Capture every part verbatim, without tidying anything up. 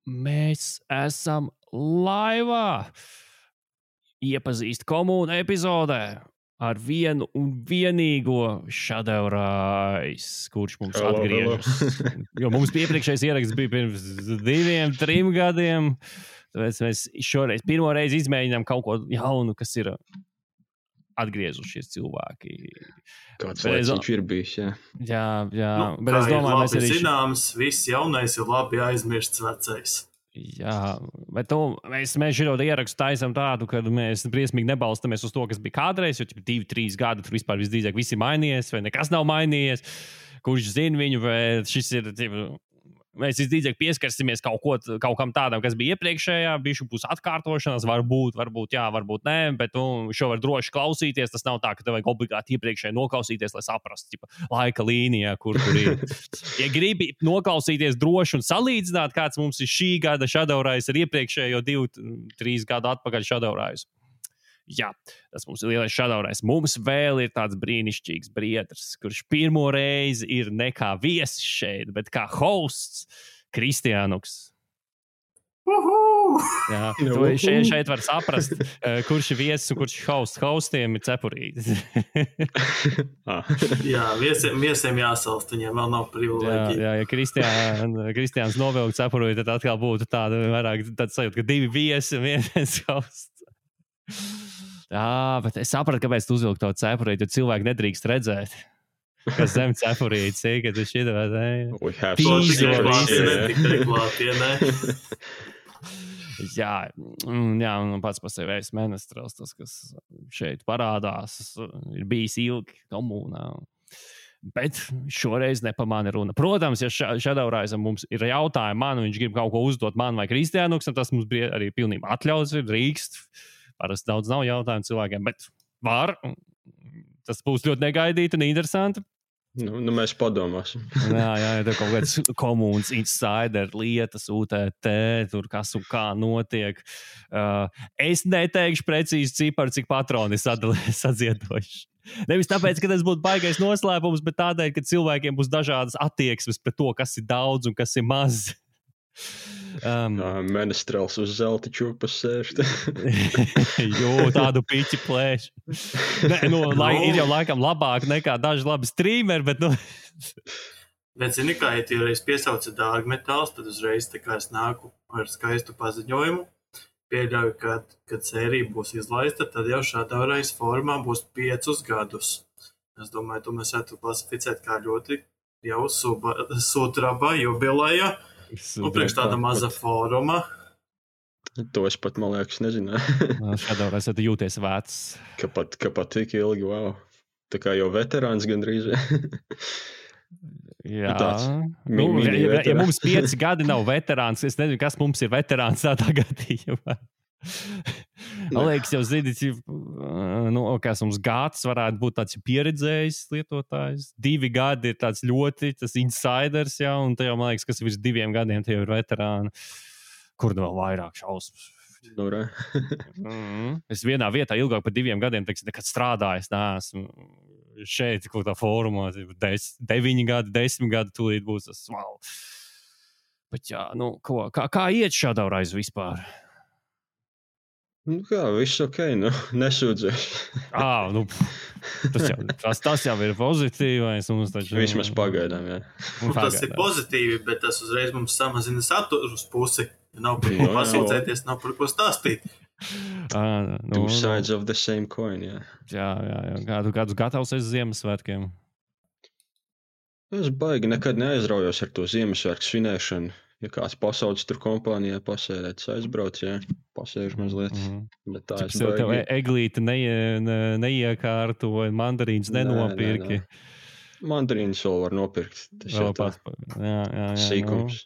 Mēs esam laivā. Iepazīst komūnu epizodē ar vienu un vienīgo Shadowrais, kurš mums Hello, atgriežas. hello. Jo mums iepriekšējais ieraksts bija pirms diviem, trim gadiem. Tāpēc mēs šoreiz pirmo reizi izmēģinām kaut ko jaunu, kas ir atgriezušies cilvēki. Kāds Bet laiks es- viņš ir bijis, jā. Jā, jā. Nu, Bet kā es ir domāju, mēs labi arī... zināms, viss jaunais ir labi aizmirsts vecais. Jā, bet tu, mēs, mēs šo ierakstu taisām tādu, ka mēs briesmīgi nebalstamies uz to, kas bija kādreiz, jo divi, trīs gadi tur vispār visdrīzāk viss ir mainījies, vai nekas nav mainījies. Kurš zina viņu, vai šis ir... Mēs visdrīzāk pieskarsimies kaut, ko, kaut kam tādam, kas bija iepriekšējā, bišķi būs atkārtošanās, varbūt, varbūt jā, varbūt nē, bet nu, šo var droši klausīties. Tas nav tā, ka tev vajag obligāti iepriekšēji noklausīties, lai saprastu tipa, laika līnijā, kur tur ir. Ja gribi noklausīties droši un salīdzināt, kāds mums ir šī gada Shadowrais ar iepriekšējo divu, trīs gadu atpakaļ Shadowrais. Jā, tas mums ir lielais Shadowrais. Mums vēl ir tāds brīnišķīgs briedrs, kurš pirmo reizi ir ne kā viesis šeit, bet kā hosts Kristiānuks. Uhu! Jā, Nu, to šeit, šeit var saprast, uh, kurš ir viesis un kurš ir hosts. Hostiem ir cepurītis. Ah. Jā, viesiem, viesiem jāsalst, viņiem vēl nav jā, privileģija. jā, ja Kristiāns, Kristiāns novilkt cepurīti, tad atkal būtu tāda vairāk tāds sajūta, ka divi viesi un viens hosts. Jā, bet es sapratu, kāpēc tu uzvilki to cepurīti, jo cilvēki nedrīkst redzēt, kas zem cepurītes ir, kad tu šķita vai ne. We have To To some tikai tikai visi, secrets, klātienē, jā. tikai klātienē. Jā, mm, jā, un pats par sevi es menestrels, tas, kas šeit parādās, ir bijis ilgi komunā. Bet šoreiz nepamāna runa. Protams, ja Shadowraisam mums ir jautājumi man, un viņš grib kaut ko uzdot man vai Kristiānuks, tas mums bija arī pilnībā atļauts, ir drīkst. Parasti daudz nav jautājumu cilvēkiem, bet var. Tas būs ļoti negaidīti un interesanti. Nu, nu, mēs padomāsim. Jā, jā, tur kaut kāds komunas insider lietas, U T T, tur kas un kā notiek. Uh, es neteikšu precīzi ciparu, cik patroni sadziedojuši. Nevis tāpēc, ka tas būtu baigais noslēpums, bet tādēļ, ka cilvēkiem būs dažādas attieksmes pret to, kas ir daudz un kas ir maz. Um, Uh, Menestrels uz zelta čūpas sēž. jo, tādu piķi plēš. Ne, nu, lai, ir jau laikam labāk nekā daži labi streameri, bet, nu, Bet, zini, kā, ja tu reiz piesauci dārgmetāls, tad uzreiz tā kā es nāku ar skaistu paziņojumu. Pieļauju, ka, kad sērija būs izlaista, tad jau Shadowrais formā būs piecus gadus. Es domāju, to mēs varētu klasificēt kā ļoti jau suba, sudraba jubileja. Nu, priekš tāda maza fóruma. To es pat, man liekas, nezināju. Shadowrais tu jūties vecs. Ka pat, ka pat tik ilgi, wow. Tā kā jau veterāns gandrīz. Jā, Tāds nu, mi- ja, mini ja, ja veterāns. mums pieci gadi nav veterāns, es nezinu, kas mums ir veterāns tādā gadījumā. Man liekas, jau zini, cik, nu, kas mums gads varētu būt tāds pieredzējis lietotājs. Divi gadi ir tāds ļoti tas insiders, jā, un tajā, man liekas, kas virs diviem gadiem tie ir veterāni. Kur nu vēl vairāk šausmas? Nu, re. Mm. Es vienā vietā ilgāk par diviem gadiem teiksim, nekad strādājis. Neesmu šeit, kaut kā formā, des, deviņi gadi, desmit gadi, tūlīt būs tas wow. Bet jā, nu, ko, kā, kā iet Shadowrais vispār? Nu kā, viss ok, nu, nesūdzēs. Ā, nu, tas, jau, tas, tas jau ir pozitīvais. Mums taču, Vismaz pagaidām, jā. Nu, tas ir pozitīvi, bet tas uzreiz mums samazina saturus pusi. Nav par ko Nu, jā. pasūdzēties, nav par ko stāstīt. À, nu, Two sides of the same coin, jā. jā, jā, jā. Kādu, kādus gatavs esi Ziemassvētkiem? Es baigi nekad neaizraujos ar to Ziemassvētku svinēšanu. Ja kāds pasauc tur kompānijā pasēdēt, aizbrauc, jā, pasēž mazliet. Mhm. Bet tā Cik es sev tev baigi. eglīti neie, ne, neiekārtoja, mandarīns Nē, nenopirki. nē, nē. Mandarīnus vēl var nopirkt. Tas Vēl jau tā pats, jā, jā, jā, sīkums.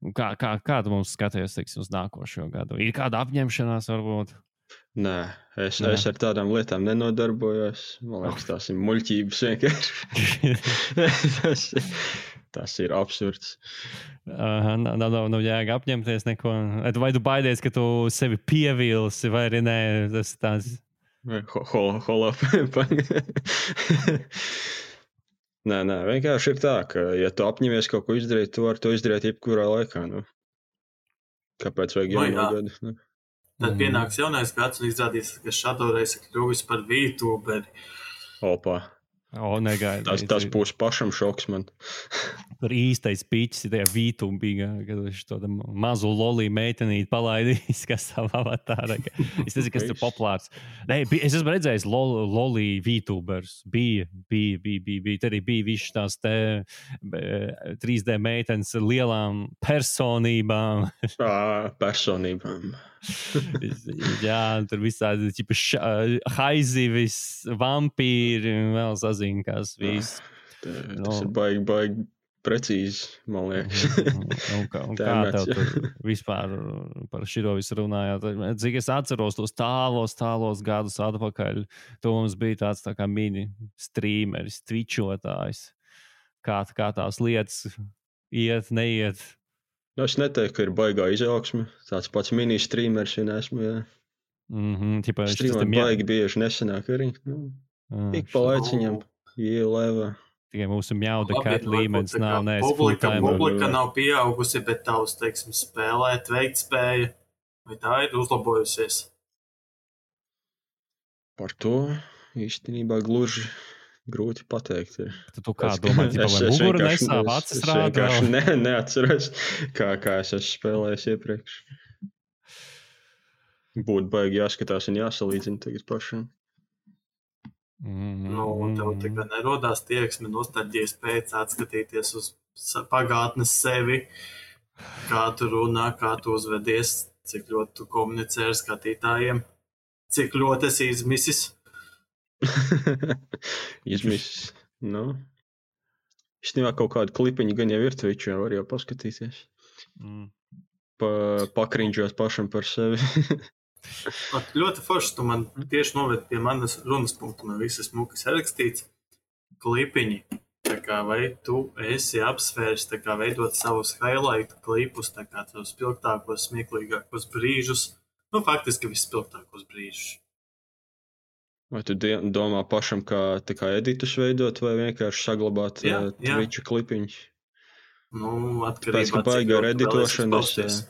Nu, kā, kā, kā tu mums skaties, teiksim, uz nākošo gadu? Ir kāda apņemšanās varbūt? Nē, es, Nē. es ar tādām lietām nenodarbojos. Man liekas, tās ir muļķības vienkārši. tas, tas ir absurds. Aha, nav, nav, nav jēga apņemties neko. Vai tu baidies, ka tu sevi pievilsi, vai arī nē, tas ir tāds... Hol, hol up. Nē, nē, vienkārši ir tā, ka, ja tu apņemies kaut ko izdarīt, tu vari to izdarīt jebkurā laikā. Nu. Kāpēc vajag Nu, jauno jā. gadu? Ne? Tad pienāks jaunais gads un izrādīs, ka Shadow Race kļuvis par VTuberi. Opā. O, negaidīju. Tas, tas būs pašam šoks man. Tur īstais pīķis ir tajā vītumbīgā, kad viņš to mazu lolī meitenīti palaidīs, kas savā avatārā. Es nezinu, kas tur populārs. Nē, bija, es esmu redzējis lol, lolī vītubers. Bija, bija, bija, bija, bija. Tad arī bija viss tās te trīs D meitenes ar lielām personībām. Ā, personībām. Jā, tur visādi ķipa haizivis, vampīri, vēl sazina, kas viss. Tā, tas ir baigi, baigi precīzi, man liekas. un, kā, un kā tev tur vispār par šito visu runājāt? Cik es atceros tos tālos, tālos gadus atpakaļ, to mums bija tāds tā kā mini streameris, twitchotājs. Kā, kā tās lietas iet, neiet. Nu, es neteiktu, ka ir baigā izaugsme. Tāds pats mini-streamers, ja neesmu, jā. Mm-hmm, tipa, Streamēt baigi bieži nesenāk arī. Nu, ik pa laiciņam, ielēvā. Tikai mūsu mjauda cat līmenis nav, nē, es publika, full-timer. publika nav pieaugusi, bet tavs, teiksim, spēlēt, veikt spēja. Vai tā ir uzlabojusies? Par to īstenībā gluži grūti pateikt. Ir. Tu, tu kā domā, tipa, vai muguru nesāv acis rādā? Es ne, neatceros, kā, kā es esmu spēlējis iepriekš. Būtu baigi jāskatās un jāsalīdzina tagad pašam. Mm-hmm. Nu, un tev tikai nerodās tieksme nostalģijas pēc atskatīties uz pagātnes sevi, kā tu runā, kā tu uzvedies, cik ļoti tu komunicē ar skatītājiem, cik ļoti esi izmisis. Izmisis, nu. Īstenībā kaut kādu klipiņu gan jau ir Twitchā, var jau paskatīties. Mm. Pa, pakriņģot pašam par sevi. At, ļoti forši, tu man tieši noved pie manas runas punktu, man visas mukas rakstīts klipiņi. Tā kā vai tu esi apsvērs, tā kā veidot savus highlight klipus, tā kā tavus spilgtākos, smieklīgākos brīžus, nu faktiski vispilgtākos brīžus. Vai tu domā pašam, kā, kā editus veidot, vai vienkārši saglabāt jā, uh, Twitcha klipiņus? Nu, atkarībā. Pēc, ka baigi ar editošanu, es,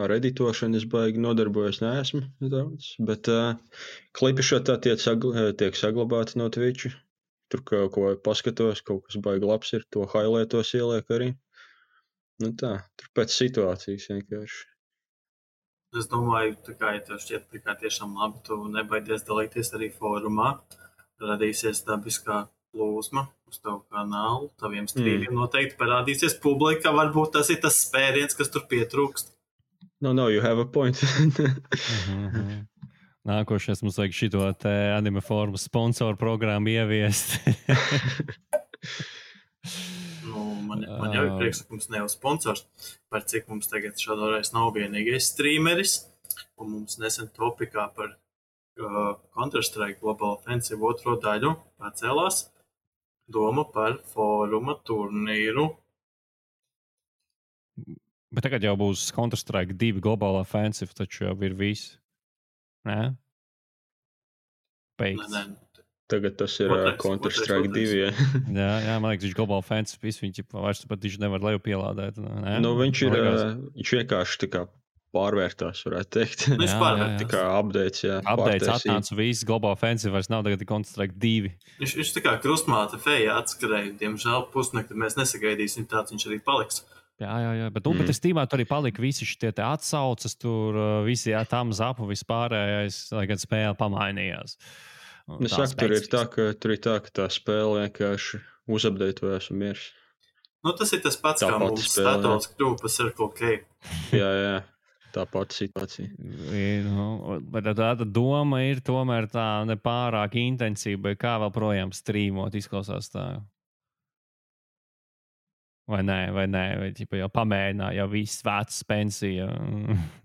ar editošanu es baigi nodarbojos neesmu daudz, bet uh, klipi šo tā tiek, sagl tiek saglabāti no Twitcha. Tur kaut ko paskatos, kaut kas baigi labs ir, to highlightos ieliek arī. Nu tā, tur pēc situācijas vienkārši. Es domāju, tā kā, ja tev šķiet tā kā tiešām labi, tu nebaidies dalīties arī fórumā. Radīsies dabiskā plūsma uz tavu kanālu, taviem strīmiem mm. noteikti parādīsies publika. Varbūt tas ir tas spēriens, kas tur pietrūkst. No, no, you have a point. mm-hmm. Nākošais mums vajag šito te anime formu sponsoru programmu ieviest. Nu, man, man jau ir prieks, ka mums nav sponsors, par cik mums tagad šādreiz nav vienīgais streameris, un mums nesen topikā par uh, Counter-Strike Global Offensive otro daļu pacēlās doma par fóruma turnīru. Bet tagad jau būs Counter-Strike divi Global Offensive, taču jau ir viss. Nē? Pēc. Nē, nē. Tagad tas ir otrais, Counter-Strike divi. Ja. jā, jā, man liekas, viņš global offensive, visu viņš vairs pat viņš nevar leju pielādēt. Nē? Nu, viņš ir, uh, viņš vienkārši tā kā pārvērtās, varētu teikt. Viņš pārvērtās. Tā kā updates, jā. Updates atnāca viss, global offensive vairs nav tagad Counter-Strike divi. Viņš, viņš tā kā krustmāte feja atskarēja, diemžēl pusnekti mēs nesagaidīsim, tāds viņš arī paliks. Jā, jā, jā, bet, nu, mm. bet es tīmā tur arī palika visi šitie te atsaucas, tur visi, jā, tam zapu vispārējais, lai gan spēle pamainījās. Es saku, tur ir tā, ka, tur ir tā, ka tā spēle vienkārši uzapdeitojas un miers. Nu, tas ir tas pats, tā kā mums Statols kļuva pa Circle K. jā, jā, tā pati situācija. Nu, bet tāda doma ir tomēr tā nepārāk intensīva, vai kā vēl projām strīmot, izklausās tā. Vai nē, vai nē, vai ķipa jau pamēģinā, jau viss vecs pensija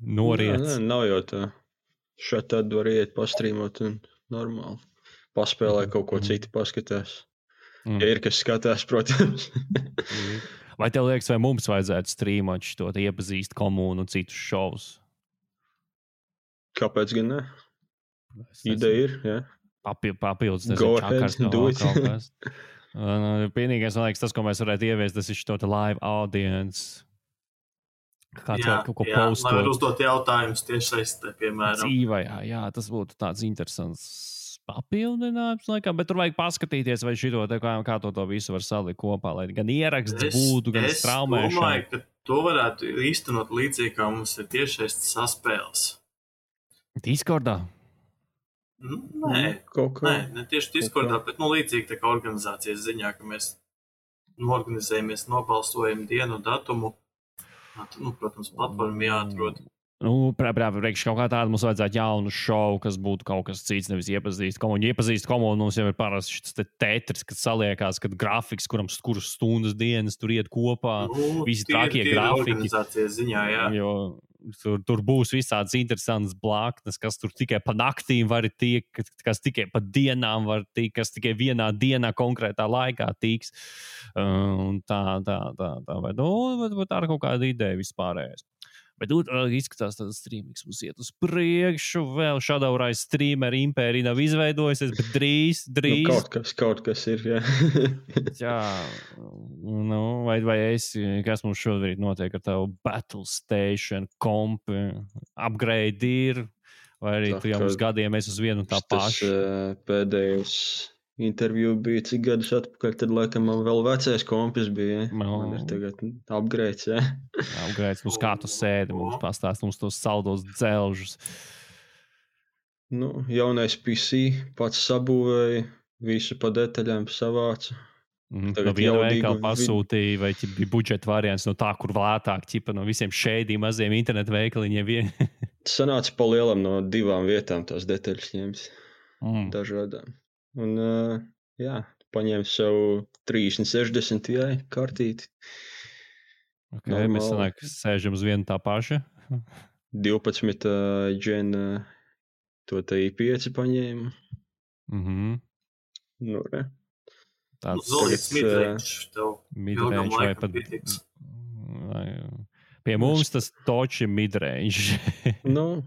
noriec. Nē, nē, nav jau tā. Šeit tad var iet pastrīmot un normāli. Paspēlē kaut ko citu paskatās. Mm. Ja ir, kas skatās, protams. Vai tev liekas, vai mums vajadzētu strīmot šo iepazīst komūnu un citus šovus? Kāpēc gan ne? Ideja ir, jā. Papi, papildus, nezinu, čakars no kaut kas. Vienīgais, man liekas, tas, ko mēs varētu ieviest, tas ir šo live audience. Kāds jā, var kaut ko jā, lai var postot. uzdot jautājumus tiešsaistē, piemēram. Dzīvajā, jā, tas būtu tāds interesants papildinājums, laikam, bet tur vajag paskatīties, vai šito, te, kā, kā to, to visu var salikt kopā, lai gan ieraksts Es, būtu, gan es straumēšana. domāju, ka to varētu īstenot līdzīgi, kā mums ir tiešsaistes saspēles. Discordā? Nu, nē, Kaut kā. nē, ne tieši Discordā, bet nu, līdzīgi tā kā organizācijas ziņā, ka mēs norganizējamies, nobalsojam dienu un datumu. Nu, protams, platforma jāatrod. Nu, priekš kaut kā tāda mums vajadzētu jaunu šovu, kas būtu kaut kas cits, nevis iepazīst komunu. Iepazīst komunu mums jau ir parasti šis te tetris, kad saliekās, kad grafiks, kuram kuras stundas dienas tur iet kopā, Nu, visi tīri- trakie tīri grafiki. organizācijas ziņā, jā. Jo tur, tur būs visādas interesantas blāknes, kas tur tikai pa naktīm var tikt, kas tikai pa dienām var tikt, kas tikai vienā dienā konkrētā laikā tiks. Un tā, tā, tā, tā, vai, nu, bet, bet tā ir kaut kāda ideja vispārējais. Bet nu, izskatās, ka tas streamings mums iet uz priekšu. Vēl šādā streamera impērija nav izveidojusies, bet drīz, drīz. Nu, kaut kas, kaut kas ir, jā. Jā, nu, vai, vai es, kas mums šobrīd notiek ar tavu Battle Station komp, upgrade ir, vai arī Tā tu jau kā uz gadiem esi uz vienu un tā Tas pašu. uh, pēdējais interviju bija cik gadus atpakaļ, tad laikam man vēl vecais kompis bija. Ja? No. Man ir tagad upgrades, jā. Upgrade, uz kā tu sēdi, mums pastāst mums tos saldos dzelžus. Nu, jaunais P C pats sabūvēja, visu pa detaļām savāca. Mm, Tagad no viena jaudīgu veikala vid- pasūtīja, vai ķip, bija budžeta variants no tā, kur lētāk, ķipa, no visiem šēdiem maziem internetu veikaliņiem. Vien. Sanāca pa lielam no divām vietām tās detaļas ņemt, mm. dažādām. Un, uh, jā, paņēma sev trīsdesmit sešdesmit Ti kartīti. Okay, mēs Normāli. sanāk, sēžam uz vienu tā paša. divpadsmit uh, gen uh, to te I pieci paņēma. Mhm. Nu, re. Nu, Tāds Zolīts tagad, midrange tev midrange ilgam vai laikam pat. pietiks. vai- Pie mums tas toči midrange. Nu,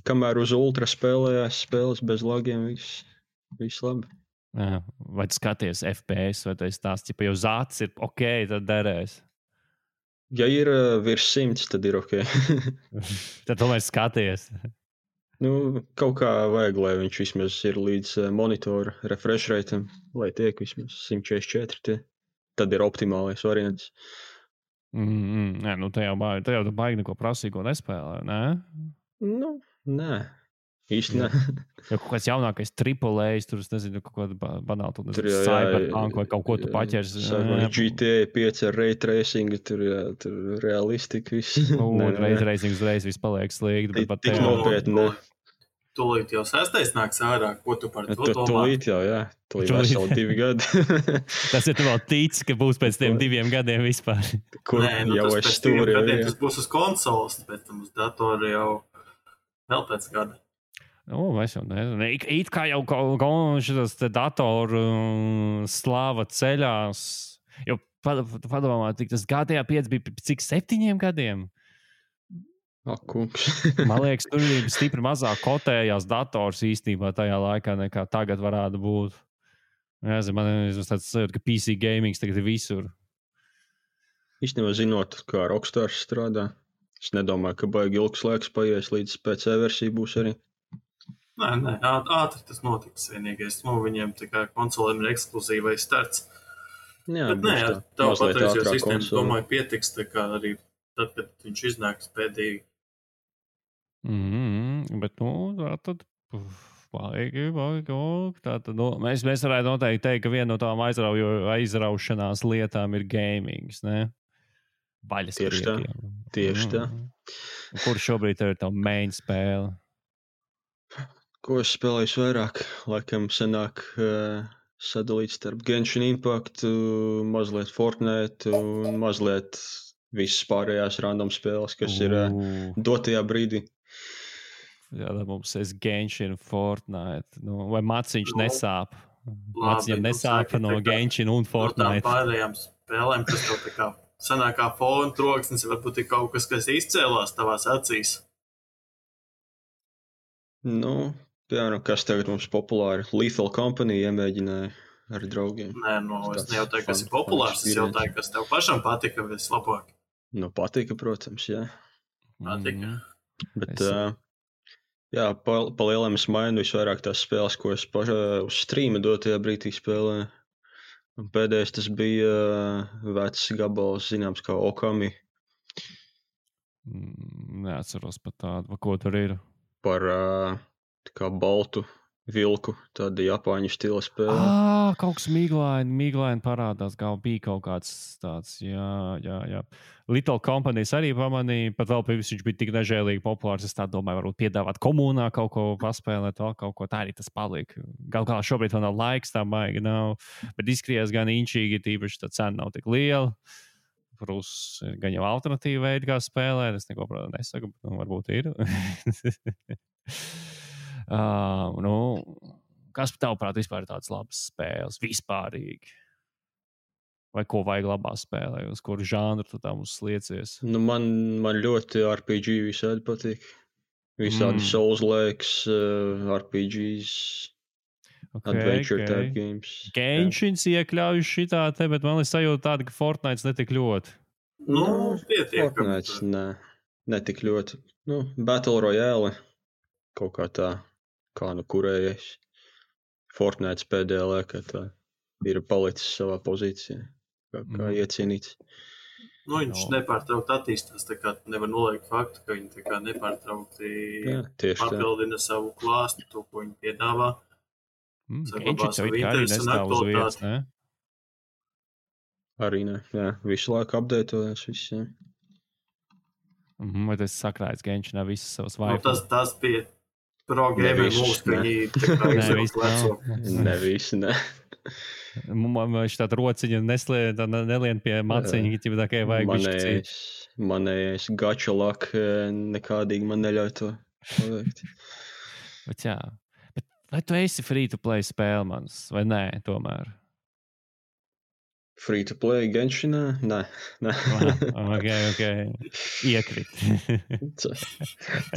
kamēr uz ultra spēlējās spēles bez lagiem, viss, viss labi. Jā, vai tu skaties F P S, vai tas tās, ja jau zācis ir ok, tad derēs. Ja ir uh, virs simts, tad ir ok. Tad tomēr skaties. Nu, kaut kā vajag, lai viņš vismaz ir līdz uh, monitora refresh rateam, lai tiek vismaz simt četrdesmit četri. Tie. Tad ir optimālais variants. Mm, mm, nē, nu te jau baigi, te jau tu baigi neko prasīgo nespēlē, ne? Nu, nē. Īsti nē. Ja kaut kāds jaunākais triple A, tur es nezinu, kaut kāda ba- banāla, tur Tur nezinu, jau, jā, Cyberpunk vai kaut ko tu jā, paķers. sākumā G T A pieci ar ray tracing, tur, jā, tur realistika viss. U, Nē, nē, reiz, nē. reiz, uzreiz viss paliek slikt, bet Tik- pat tik tajā- nopietni. ne. Tūlīt jau sestais nāks ārā, ko tu par to Tu, domā? tūlīt jau, jā. Tūlīt Tūlīt. veseli divi gadi. Tas ir tu vēl tic, ka būs pēc tiem diviem gadiem vispār. Kur Nē, nu, jau tas es pēc diviem stūri. gadiem jā. tas būs uz konsoles, pēc tam uz datora jau vēl pēc gada. Nu, es jau nezinu. It, it kā jau šis datoru um, slāva ceļās. Jo pad- padomā, tik tas G T A pieci bija pēc cik septiņiem gadiem. Ak, kungs. Man liekas, tur bija stipri mazāk kotējās dators īstenībā tajā laikā, nekā tagad varētu būt. Nezinu, man ir tāds sajūta, ka P C gaming tagad ir visur. Īstenībā zinot, kā Rockstars strādā, es nedomāju, ka baigi ilgs laiks paies, līdz P C versija būs arī. Nē, nē, āt- ātri tas notiks vienīgais. Nu, viņiem tā kā konsolēm ir ekskluzīvais starts. Jā, Bet nē, būs ar tā. tavu Mazliet patreizējo ātrāk sistēmu, konsole. domāju, pietiks, tā kā arī tad, kad viņš iznāks pēdīgi. Mm -hmm, bet, nu, tā tad. Baigi, baigi, ok. Tā tad, nu, mēs, mēs varētu noteikti teikt, ka viena no tām aizraujo, aizraušanās lietām ir gamings, ne? Baļas Tieši tā. priekiem. Tieši tā. Kur šobrīd tev ir tā main spēle? Ko es spēlēju vairāk? Laikam senāk uh, sadalīt starp Genshin Impact, uh, mazliet Fortnite un mazliet visas pārējās random spēles, kas ir uh, Ū, dotajā brīdī. jā, tad mums ir Genshin, Fortnite. Nu, vai maciņš Nu, nesāp? labi, Maciņam nu, nesāp saki, no tā kā- Genshin un No tām Fortnite. pārējām spēlēm, kas tev tā kā sanākā fona troksnis, varbūt ir kaut kas, kas izcēlās tavās acīs. Nu, piemēram, kas tagad mums populāri? Lethal Company iemēģināja ar draugiem. Nē, no, es Tas nejautāju, kas fun- ir populārs, fun es jautāju, kas tev pašam patika vislabāk. Nu, patika, protams, jā. Patika. Bet, Es- uh, jā, pa, pa lielam es mainu visvairāk tās spēles, ko es pašā uz streama dotajā brīdī spēlēju. Un pēdējais tas bija uh, vecs gabals, zināms, kā Okami Mm, Neatceros pat tādu, ko tur ir. par uh, tā kā baltu vilku, tāda japāņu stila spēle. Ah, kaut kas miglaini, miglaini parādās, kā bija kaut kāds tāds, jā, jā, jā. Little Companies arī pamanīja, pat vēl pirms viņš bija tik nežēlīgi populārs. Es tā domāju, varbūt piedāvāt komunā kaut ko paspēlēt, vēl kaut ko tā arī tas paliek. Gal galā šobrīd vēl nav laiks, tā maigi nav, bet izskatījās gan inčīgi, tīpaši tā cena nav tik liela. Prūs ir gan jau alternatīva veidi, kā spēlēt. Es neko, protams, nesaku, bet nu, varbūt ir. uh, nu, kas tavuprāt vispār ir tādas labas spēles? Vispārīgi. Vai ko vajag labā spēlē? Uz kuru žanru tu tam uzsliecies? Nu, man, man ļoti R P G visādi patīk. Visādi Mm. mm. Souls-likes, uh, R P Gs, Okay, adventure okay. type games. Genshin iekļauj šitā te, bet man ir sajūta tāda, ka Fortnite netik ļoti. Nu, pietiekami. Fortnite, nē, ne tik ļoti. Nu, Battle Royale kaut kā tā, kā nu kurējais. Fortnite pēdējā laikā tā ir palicis savā pozīcijā, kā, kā Mm. iecienīts. Nu, viņš No. nepārtraukti attīstās. Tā kā nevar noliegt faktu, ka viņi tā kā nepārtraukti Jā, tieši tā. papildina savu klāstu, to, ko viņi piedāvā. Mm, Saglabā Genshin savu jau it kā arī interesi un nestāv uz vietas, aktualitāti. ne? Arī ne, jā, visu laiku apdētojas viss, jā. Mhm, vai tas sakrājas Genshinā visas savas Nu, vaipas? tas, tas bija pro gamer visus, mūs, ka ne. viņi tā kā Nē, izvēlas viss veco. nav. Ne visi, ne. Man viņš tāda rociņa neslien, tā ne- nelien pie maciņa, ja tā kā vajag bišķi cīt. Manējais, manējais gača lak eh, nekādīgi man neļauj to paveikt. Bet jā, bet vai tu esi free to play spēle mans, vai nē, tomēr? Free to play Genshinā? Nē, nē. Aha, ok, ok. Iekrit.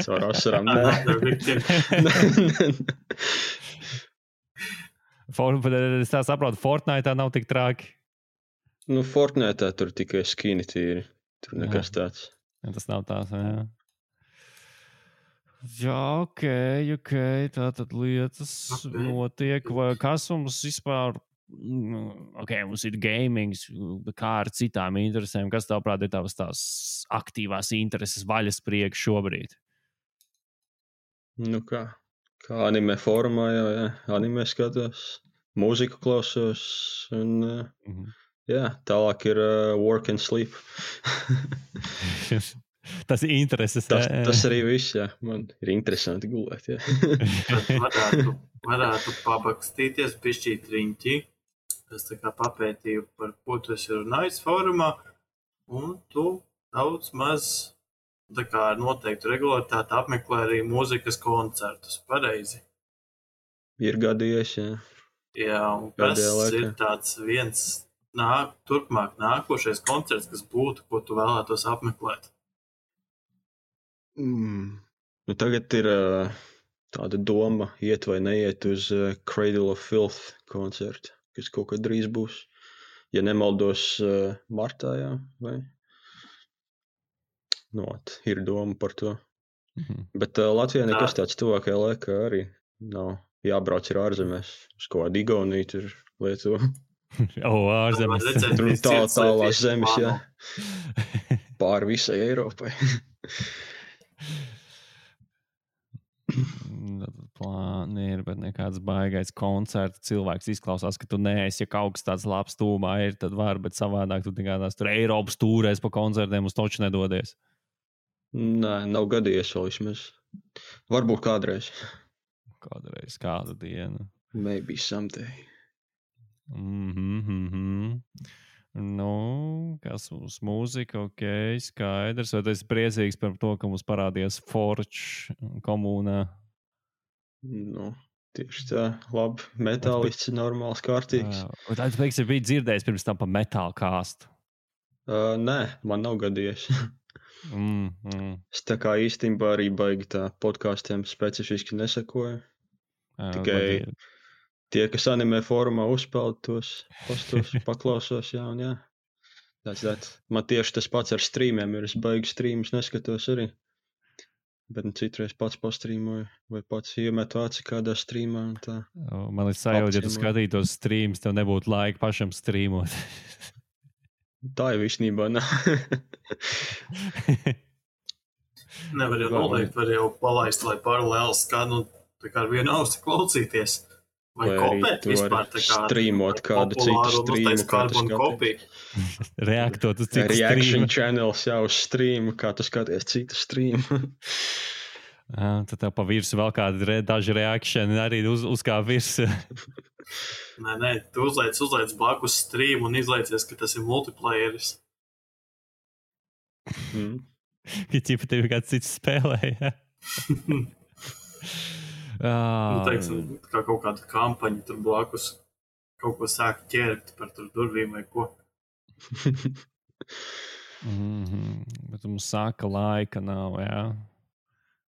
Caur asarām, nē. Another victim. For, bet es tā saprotu, Fortnite tā nav tik traki. Nu, Fortnite tur tikai skini tīri. Tur nekas Jā. tāds. Ja tas nav tās, jā. Jā, ok, ok. Tā tad lietas Ok. notiek. Vai kas mums vispār. mm, Ok, mums ir gaming, bet kā ar citām interesēm? Kas tavuprāt ir tavas tās aktīvās intereses vaļas priekš šobrīd? Nu kā? Kā anime formā jau, jā. Anime skatos. Mūziku klausos. Un, eh, Mhm. jā, tālāk ir uh, work and sleep. Tas ir intereses. tas, jā, jā. tas arī viss, jā. Man ir interesanti gulēt, jā. Tad varētu, varētu pabakstīties, pišķīt riņķi. Es tā kā papētīju, par ko tu esi runājis fórumā, un tu daudz maz, tā kā ar noteiktu regularitāti apmeklē arī mūzikas koncertus. Pareizi. Ir gadījies, jā. Jā, un kas Pēdējā laikā. ir tāds viens nāk, turpmāk nākošais koncerts, kas būtu, ko tu vēlētos apmeklēt? Mm. Nu, tagad ir uh, tāda doma iet vai neiet uz uh, Cradle of Filth koncertu, kas kaut kad drīz būs. Ja nemaldos, uh, martā, jā, vai? Nu, ot, ir doma par to. Mhm. Bet uh, Latvijā Tā. nekas tāds tuvākajā laikā arī nav. Jābrauc ir ārzemēs, uz ko Igauniju tur lieto. O, ārzemes. Redzēt, Tur viss tā, cits tālās lietiešas zemes, jā. plāno. Pāri visai Eiropai. Plāni ir, bet nekāds baigais koncerts. Cilvēks izklausās, ka tu neesi, ja kaut kas tāds labs tūmā ir, tad var, bet savādāk tu tikai tās tur Eiropas tūrēs pa koncertiem uz toču nedodies. Nē, nav gadījies vēl vismaz. Varbūt kādreiz. Kādreiz, kādu dienu. Maybe someday. Mhm, mhm. Nu, kas mums mūzika, ok, skaidrs. Vai tu esi priecīgs par to, ka mums parādījās Forge komunā? Nu, tieši tā. Labi, metālists ir normāls, kārtīgs. Uh, Vai tu, teiksim, biji dzirdējis pirms tam par metālu kāstu? Uh, nē, man nav gadījies. Mm, mm. Es tā kā īstenībā arī baigi tā podkāstiem specifiski nesakoju. Jā, Tikai man ir- tie, kas anime fórumā uzpeld tos postos, paklausos, jā un jā. That's that. Man tieši tas pats ar streamiem ir. Es baigi streamus neskatos arī. Bet nu, citreiz pats pastrīmoju vai pats iemetu aci kādā streamā. Un tā. Man ir sajūta, ja tu skatītos streamus, tev nebūtu laika pašam streamot. Tā jau īstenībā nav. Nevar jau noliekt, var jau palaist, lai paralēli skan un tā kā ar vienu ausi klausīties. Vai, vai kopēt vispār tā kā streamot kādu citu streamu, kā tu skaties. Reaktot uz citu Reaction streamu. channels jau uz streamu, kā tu skaties citu streamu. Jā, tad tev pa virsu vēl kādi re, daži reakšani arī uz, uz kā virsu. Nē, nē, tu uzlaic, uzlaic blakus streamu un izlaicies, ka tas ir multiplayeris. Mm. Ka ķipa tevi kāds cits spēlē, ja? Nu, teiksim, kā kaut kāda kampaņa tur blakus kaut ko sāk ķert par tur durvīm vai ko. Mm-hmm. Bet mums saka, laika nav, jā.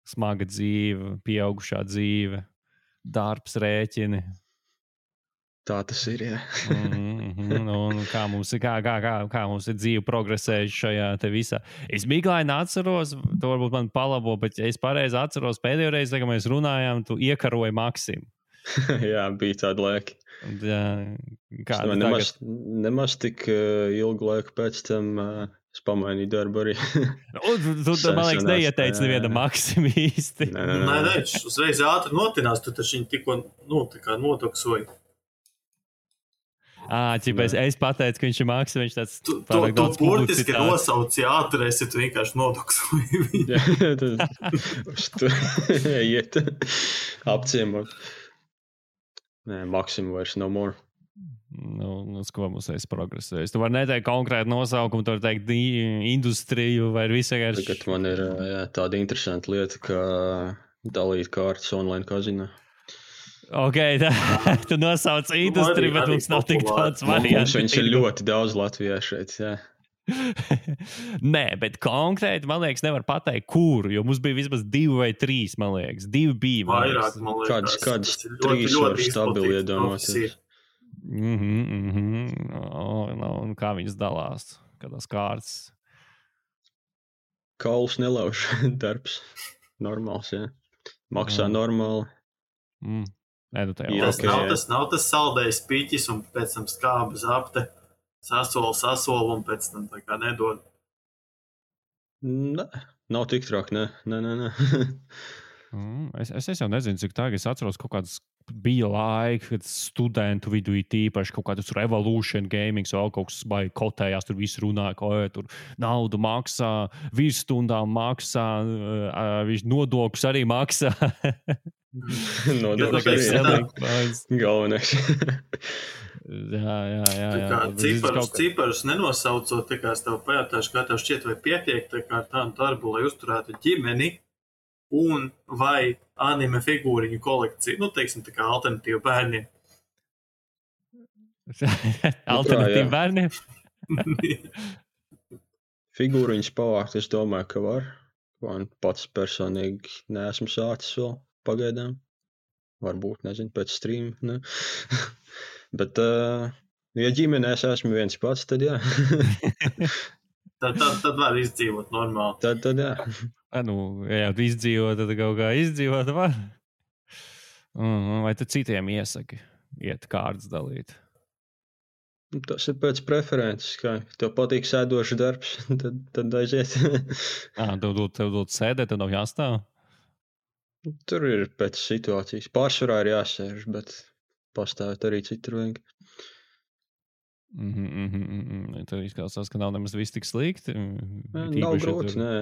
Smaga dzīve, pieaugušā dzīve, darbs, rēķini. Tā tas ir, jā. mm-hmm. Un kā mums, kā, kā, kā, kā mums ir dzīve progresējuši šajā te visā. Es miglaini atceros, to varbūt man palabo, bet es pareizi atceros pēdējo reizi, kad mēs runājām, tu iekaroji Maksimu. Jā, bija tāda laika. Jā, kā es nemaz, tagad... nemaz tik uh, ilgu laiku pēc tam uh, es pamainīju darbu arī. Un, tu, tu, tu man liekas, neieteici neviena Maksima īsti. Nē, nē, nē. Nē, nē, uzreiz ātri notinās, tu taču viņu tikko, nu, tā kā nodoksoji. Ā, ķipēc, es pateicu, ka viņš ir Maksim, viņš tāds tu, tu, tu burtiski nosauci ātri, esi tu vienkārši nodoksoji viņu. Jā, uz tu iet apciemot. Nē, Maksim vairs no more. Nu, uz ko mums es progresēju. Tu vari neteikt konkrētu nosaukumu, tu vari teikt industriju vai visu vienkārši. Tagad man ir jā, tāda interesanta lieta, kā dalīt kārtas online kazinā. Ok, tā, tu nosauc industriju, bet mums nav tik daudz variantu. Mums viņš ir ļoti daudz Latvijā šeit, jā. Nē, bet konkrēti, man liekas, nevar pateikt, kuru, jo mums bija vismaz divi vai trīs, man liekas. Divi bija, man liekas. Vairāk, man liekas. Kādas, kādas trīs var stabili iedomāties. Mhm, mhm. Oh, no, un kā viņas dalās? Kādās kārtas? Kauls nelauž darbs. Normāls, jā. Maksā mm. normāli. Mm. Nē, nu jā, tas, okay, nav tas nav tas saldējs piķis un pēc tam skāba zapte. Sasola, sasola un pēc tam tā kā nedod. Nē, nav tik trāk, nē, nē, nē, nē. mm, es, es, es jau nezinu, cik tā, es atceros kaut kādas bija laika, kad studentu vidū ir tīpaši kaut kādas Revolution Gaming, vēl kaut kas baigi kotējās, tur viss runāja, ka oj, tur naudu maksā, virsstundām maksā, uh, nodokļus arī maksā. Nodokļus arī, jā. Galvenais. Jā, jā, jā. Tā kā ciparus, ciparus nenosaucot, tā kā es tev pajautāšu, kā tev šķiet vai pietiek tā kā tādu darbu, lai uzturētu ģimeni un vai anime figūriņu kolekciju, nu, teiksim, tā kā alternatīva bērniem. Alternatīva bērniem? Figūriņas pavākt, es domāju, ka var. Man pats personīgi neesmu sācis vēl pagaidām. Varbūt, nezinu, pēc stream, ne? Bet, uh, ja ģimenēs esmu viens pats, tad jā. tad, tad, tad var izdzīvot normāli. Tad, tad jā. A, nu, ja jau izdzīvot, tad kaut kā izdzīvot var. Vai tu citiem iesaki iet kārtas dalīt? Tas ir pēc preferences, kā tev patīk sēdošs darbs, tad, tad aiziet. Ā, tev dod, tev dod sēdēt, tev nav jāstāv? Tur ir pēc situācijas. Pārsvarā ir jāsēž, bet pastāvēt arī citur vajag. Mm-hmm, mm-hmm. Tad izklausās, ka nav nemaz viss tik slikti. Nav grūti, tur... nē.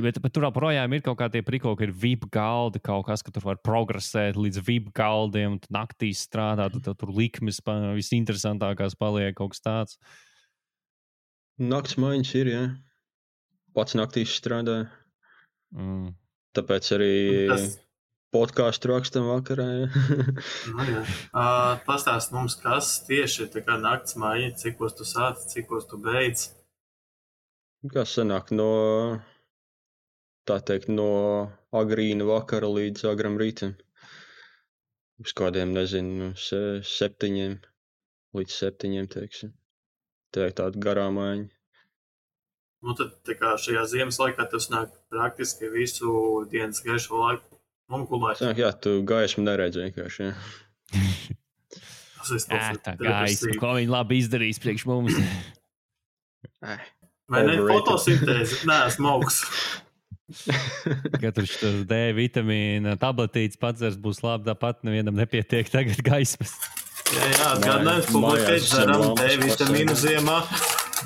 Bet, bet tur projām ir kaut kā tie priko, ka ir V I P galdi, kaut kas, ka tur var progresēt līdz V I P galdiem, un naktīs strādāt, tad tur likmes visinteresantākās paliek kaut kas tāds. Nakts maiņas ir, jā. Pats naktīs strādāju. Mm. Tāpēc arī tas... podcastu rakstam vakarā, jā. Nu, jā. Uh, pastāst mums, kas tieši ir tā kā nakts maiņa, cikos tu sāc, cikos tu beidz? Kas sanāk no... tā teikt, no agrīna vakara līdz agram rītam. Uz kādiem, nezinu, se, septiņiem līdz septiņiem, teiksim. teikt, tāda garāmaiņa. Nu, tad tā kā šajā ziemas laikā tas nāk praktiski visu dienas gaišo laiku un gulēt. Sanāk, jā, tu gaismu neredz vienkārši, jā. Tas ir Jā, tā gaisma, ko viņi labi izdarīs priekš mums. Vai ne fotosintēzi? Nē, esmu augsts. Kad tur šis D vitamīna tabletītes padzers būs labi, tāpat nevienam nepietiek tagad gaismas. Jā, jā, atgādinājums publikēt dzeram D vitamīnu ziemā.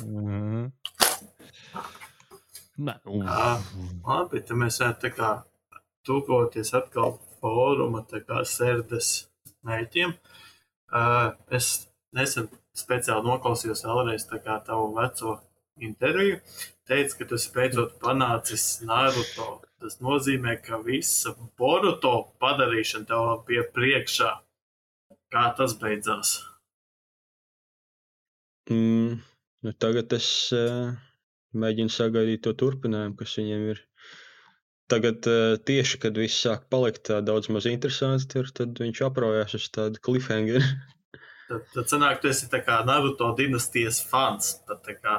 Mhm. Nē, Jā, labi, tad mēs varētu tā kā tūkoties atkal fóruma tā kā sērdes mērķiem. Uh, es nesen speciāli noklausījos vēlreiz tā kā tavu veco interviju. Teicu, ka tu esi beidzot panācis Naruto. Tas nozīmē, ka visa Boruto padarīšana tev bija priekšā. Kā tas beidzās? Mm, nu tagad es... Uh... Mēģinu sagaidīt to turpinājumu, kas viņiem ir. Tagad uh, tieši, kad viss sāk palikt tā daudz maz interesanti, tur, tad viņš apraujās uz tādu cliffhanger. Tad, tad sanāk, tu esi tā kā Naruto dinastijas fans. Tad tā kā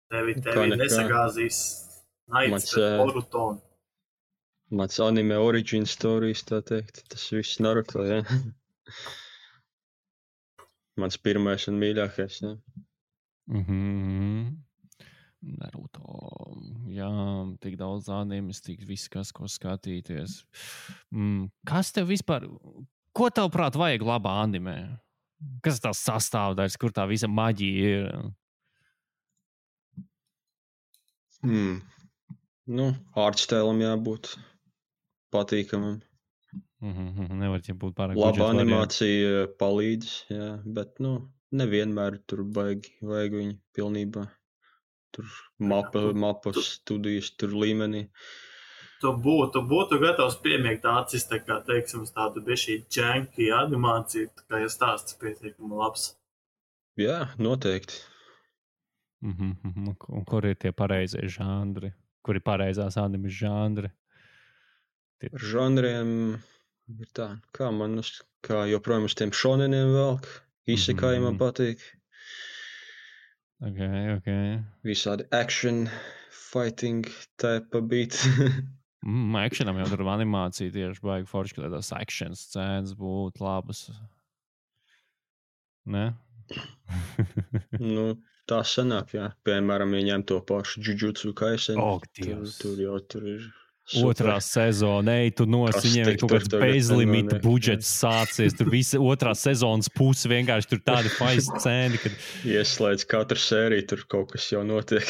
tevi, tevi nesagāzīs naids pret Boruto. Mans anime origin stories, tā teikt. Tas viss Naruto, jā. Mans pirmais un mīļākais, jā. Mhm. Naruto, jā, tik daudz animes, tik viss, kas, ko skatīties. Mm, kas tev vispār, ko tev prāt vajag labā animē? Kas tās sastāvdaļas, kur tā visa maģija ir? Hmm. Nu, artstēlam jābūt patīkamam. Mm-hmm, nevar jau būt pārāk laba animācija variant. Palīdz, jā, bet, nu, nevienmēr tur baigi, vajag viņu pilnībā. Tur mapa, mapas studijas tur līmenī. Tu būtu, būtu gatavs piemiegt acis, tā kā, teiksim, tādu bišķī džanki animāciju, tā kā ja stāsts pietiekami labs. Jā, noteikti. Mm-hmm. Un kur ir tie pareizie žanri? Kur ir pareizās animes žanri? Tie... Ar žanriem ir tā, kā man, uz, kā joprojām uz tiem šoneniem velk, isekai mm-hmm. man patīk. Ok, ok. Visādi action, fighting type beat. mm, actionam jau tur animācija tieši baigi forši, ka tās action scēnas būtu labas. Ne? Nu, tā sanāk, jā. Piemēram, ja ņem to pašu Jujutsu Kaisen. Oh, tur, tur jau tur ir super. Otrā sezona, ej, tu nos, viņiem ir kaut kāds bezlimita budžets sācies. Tur visa otrā sezonas puse vienkārši tur tādi faisi scēni, kad... Ieslēdz katru sēriju, tur kaut kas jau notiek.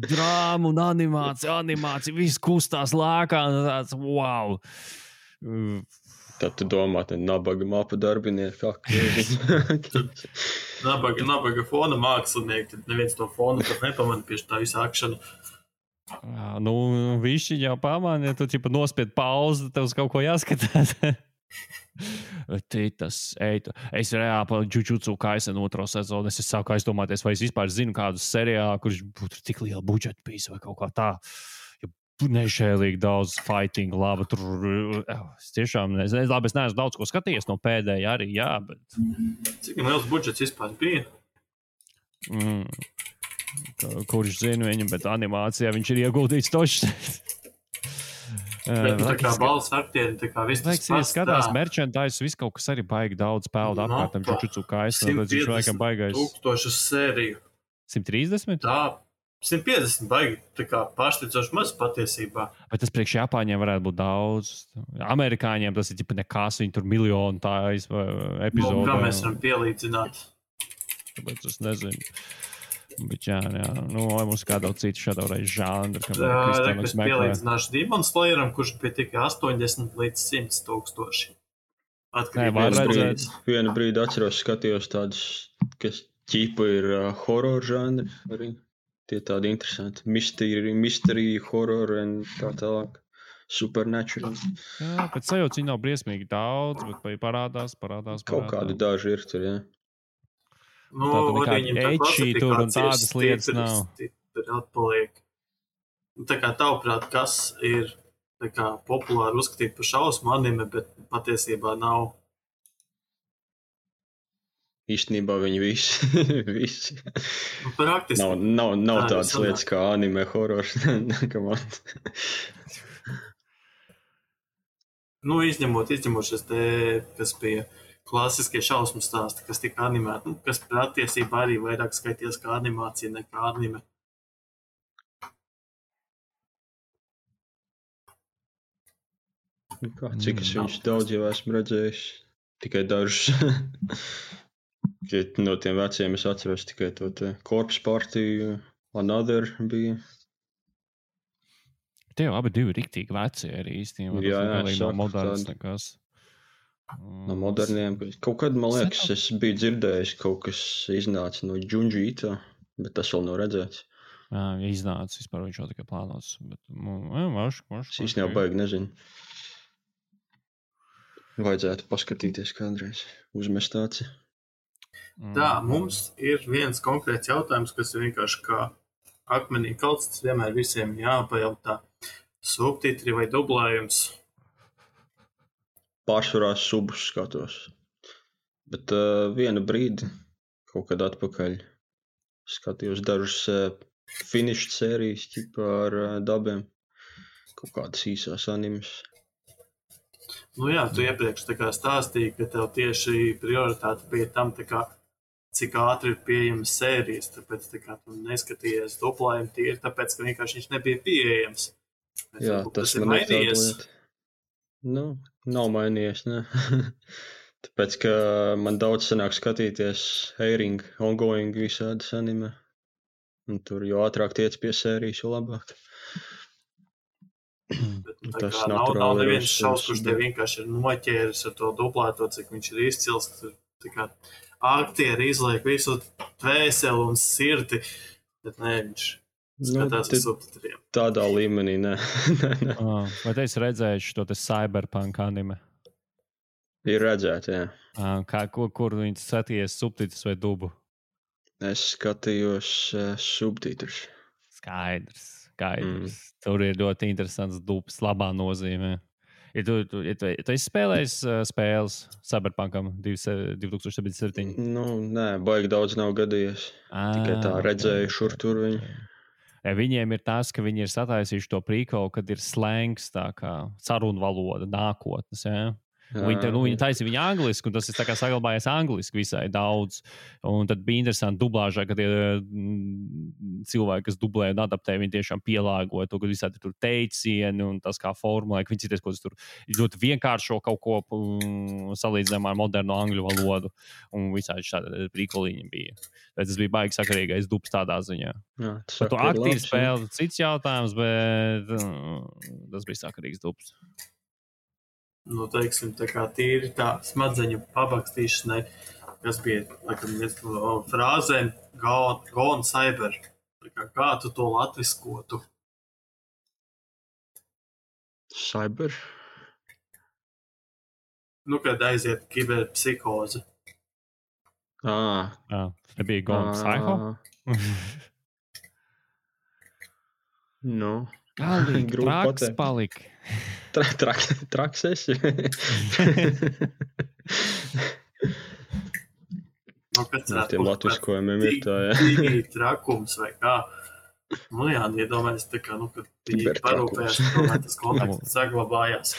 Drāma un animācija, animācija, viss kustās lēkā, un tāds, wow. Tad tu domā, te nabaga mapa darbinieki. nabaga, nabaga fona mākslinieki, tad neviens to fonu pat nepamana pie tā visu akšanu. Jā, nu, višķi jau pamāni, ja tu ķipa nospied pauzi, tev uz kaut ko jāskatās. Titas, ej, es reāli pa Jujutsu Kaisen otro sezonu, es sāku aizdomāties, vai es vispār zinu kādu seriālu, kurš būtu tik liela budžeta bijis vai kaut kā tā. Ja nešēlīgi daudz fighting, labi, tur, es tiešām, es, labi, es neesmu daudz ko skatījies no pēdējā arī, jā, bet... Cik liels budžets vispār bija? Mm. Kurš zina viņu, bet animācijā viņš ir ieguldīts tošs. Bet tā kā balss aktieri, tā kā viss tas pats. Ja skatās merchandise, viss kaut kas arī baigi daudz peldu apkārtam Jujutsu Kaisen, tad viņš laikam baigais. Tūkstošus sēriju. simt trīsdesmit? Tā, simt piecdesmit baigi, tā kā pārsteidzoši maz patiesībā. Bet tas priekš Japāņiem varētu būt daudz. Amerikāņiem tas ir tipa nekās, viņi tur miljonu tā epizodu. Nu, kā mēs varam pielīdzināt? Tāpēc es nezinu. Bet jā, jā, nu, vai mums kādā cita šādā reiz žāndra, kam jā, es pielīdzināšu Demon Slayeram, kurš bija tikai astoņdesmit līdz simt tūkstoši. Atkarībā vienu brīdi, vienu brīdi atceros, skatījos tādus, kas ķipa ir uh, horror žāndri, arī tie tādi interesanti, mystery, mystery horror un tā tālāk, supernatural. Jā, pēc sajūtas viņi nav briesmīgi daudz, bet vai parādās, parādās, parādās. Kaut kādi daži ir tur, jā. Nu, tāda nekāda ečī tur un tādas lietas nav. Tur atpaliek. Tā kā tavuprāt, kas ir tā kā populāri uzskatīt par šausmu anime, bet patiesībā nav? īstenībā viņi visi, visi. Nu, praktiski. Nav, nav, nav Tā tādas lietas kā anime, horors. Nu, izņemot, izņemot šis te, kas bija klasiskie šausmu stāsti, kas tika animēti, nu, kas patiesībā arī vairāk skaities kā animācija nekā anime. Kā, cik es viņus daudz jau esmu redzējis, tikai dažus. No tiem veciem es atceros tikai to te Corpse Party, Another bija. Tie jau abi divi riktīgi veci arī īstenībā. Jā, jā, es saku, no modernas tādi. nekas. No moderniem. Kaut kad, man liekas, es biju dzirdējis, kaut kas iznāca no Junji Ito, bet tas vēl nav redzēts. Jā, ja iznāca, vispār viņš jau tikai plānots. Bet, jā, varš, varš, Es īsti jau baigi nezinu. Vajadzētu paskatīties kādreiz, uzmest tāci. Tā, mums ir viens konkrēts jautājums, kas ir vienkārši kā akmenī kalts, tas vienmēr visiem jāpajautā. Subtitri vai dublējums? Pārsvarā subus skatos. Bet uh, vienu brīdi, kaut kad atpakaļ, skatījos dažas uh, finished sērijas ķipa ar uh, dabiem. Kaut kādas īsās animes. Nu jā, tu iepriekš tā kā stāstīji, ka tev tieši prioritāte bija tam, tā kā, cik ātri ir pieejamas sērijas, tāpēc tā kā tu neskatījies dublējumu tīri, tāpēc, ka vienkārši viņš nebija pieejams. Bet, Jā, varbūt, tas, tas ir man ir tāda mainījies. lieta. Nu, nav mainījies, ne. Tāpēc, ka man daudz sanāk skatīties Heiring, ongoing visādas anime. Un tur jo ātrāk tiec pie sērijas, jo labāk. Bet, nu, tā Tas kā nav, nav naturāli ir neviens uz- šaus, kurš te vienkārši ir noķēris ar to dublēto, cik viņš ir izcils. Tur, tā kā aktieri izliek visu dvēseli un sirdi, bet ne, viņš skatās te- uz subtitriem. Tādā līmenī, ne. ne, ne. Ah, vai te esi redzējis šo te cyberpunk anime? Ir redzēt, jā. Ah, Kā, kur, kur viņi saties subtitrus vai dubu? Es skatījos uh, subtitrus. Skaidrs, skaidrs. Mm. Tur ir ļoti interesants dubs, labā nozīmē. Ja tu, tu, ja tu, ja tu esi spēlējis uh, spēles Cyberpunkam divi tūkstoši septiņdesmit septiņi? Nu, nē, baigi daudz nav gadījies. Tikai tā redzēju šur tur viņu. Ja viņiem ir tas, ka viņi ir sataisījuši to prīkolu, kad ir slēngs, tā kā sarunvaloda nākotnes. Ja? Viņi, tā, nu, viņi taisa viņu angliski, un tas ir tā kā saglabājies angliski visai daudz. Un tad bija interesanti dublāžā, ka tie mm, cilvēki, kas dublē un adaptē, viņi tiešām pielāgoja to, ka visādi tur teicieni un tas kā formulē, ka viņi cities, ko tas tur ļoti vienkāršo kaut ko mm, salīdzinājumā ar modernu angļu valodu. Un visādi šādi prīkoliņi bija. Bet tas bija baigi sakarīgais dubs tādā ziņā. Jā, Par to aktīvu spēli cits jautājums, bet mm, tas bija sakarīgs dubs. Nu, teiksim, tā kā tīri tā smadzeņu pabakstīšanai, kas bija, laikam, viens no frāzēm, go, go on cyber. Tā kā, kā tu to latviskotu? Cyber? Nu, kad aiziet kiberpsihoze. Ā. Jā, nebija Gone Psycho? Nu. Galīgi Grūti traks pateikt. palika. Tra, trak, traks esi. Nu, pēc No tiem latviskojumiem ir tā, jā. Tīgi trakums vai kā. Nu jā, iedomājies tā kā, nu, kad viņi Kibertrakums. parūpējās, tomēr tas kontakts saglabājās.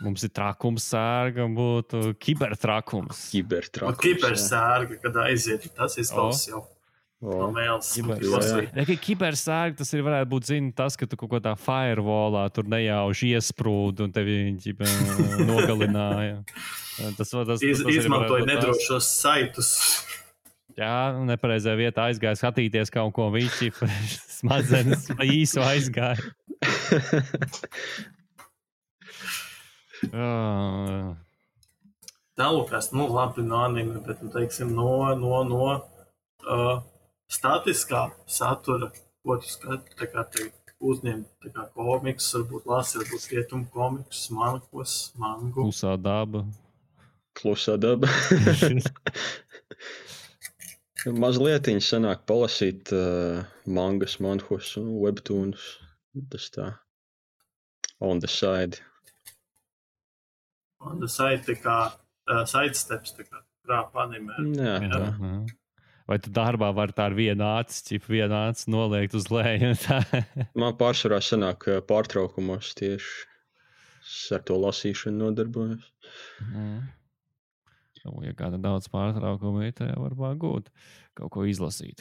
Mums ir trakums sērga, būtu kibertrakums. Un Kibertrakums. kibersērga, kad aiziet, tas izklausās jau no O. mēles. Kibersērga. Ja, kibersērga, tas ir varētu būt, zini, tas, ka tu kaut kādā firewallā tur nejauši iesprūdi un tevi ģipa, nogalināja. Tas, tas, Iz, tas arī izmantoja varētu būt tas. nedrošos saitus. Jā, nepareizajā vietā aizgāja skatīties kaut ko viņš smadzenes pa īsu aizgāja. Oh. Tālūkās, nu labi no anime, bet, nu, teiksim, no, no, no uh, statiskā satura, ko tu skati, tā kā te uzņem, tā kā komiks, varbūt lasi, varbūt rietumu komiks, mankos, mangu. Klusā daba. Klusā daba. Mazlietiņi sanāk palasīt uh, mangas, manhus un webtoonus. Tas tā. On the side. Un tas ir tā kā uh, sidesteps, tā kā krāpa animē. Jā, tā. Jā. Vai tu darbā var tā ar vienu acis, ķip vienu acis noliekt uz leju? Man pārsvarā sanāk pārtraukumos tieši ar to lasīšanu nodarbojos. Mm. Nu, ja kāda daudz pārtraukumu ir, tad var gūt kaut ko izlasīt.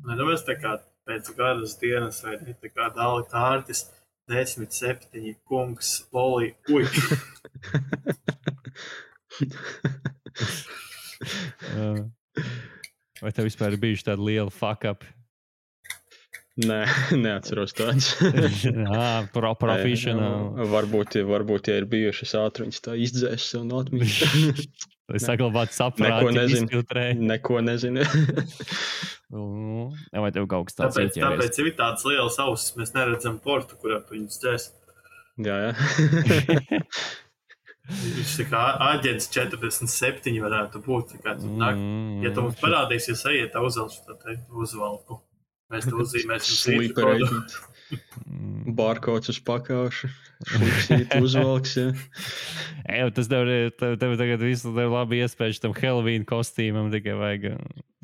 Nē, nu mēs tā kā pēc garas dienas vai ne, tā kā dāli kārtis, desmit, septiņi, kungs, loli, uj. Vai tev vispār ir bijuši tādi lieli fuck-up? Nē, neatceros tāds. Jā, pro professional. Varbūt, varbūt, ja ir bijušas ātruņas, tā izdzēs sev no atmiņas. Lai saglabātu saprāti, izfiltrēji. Neko nezinu. Vai tev kaut kas tāds tāpēc, ieķēries? tāpēc ir tāds liels ausis, mēs neredzam portu, kurā tu viņus dzēs. Jā, jā. Viņš tā kā aģents četrdesmit septiņi varētu būt. Tā kā tu nāk, ja tu mums parādīsies, ejiet uzvelšu, tad te uzvalku. Mēs to uzzīmēsim. Sleeper agent. Barkods uz pakauša. Šlipsīt uzvalks, jā. Ej, tas tev, tev, tev tagad visu tev labi iespējas tam Halloween kostīmam, tikai vajag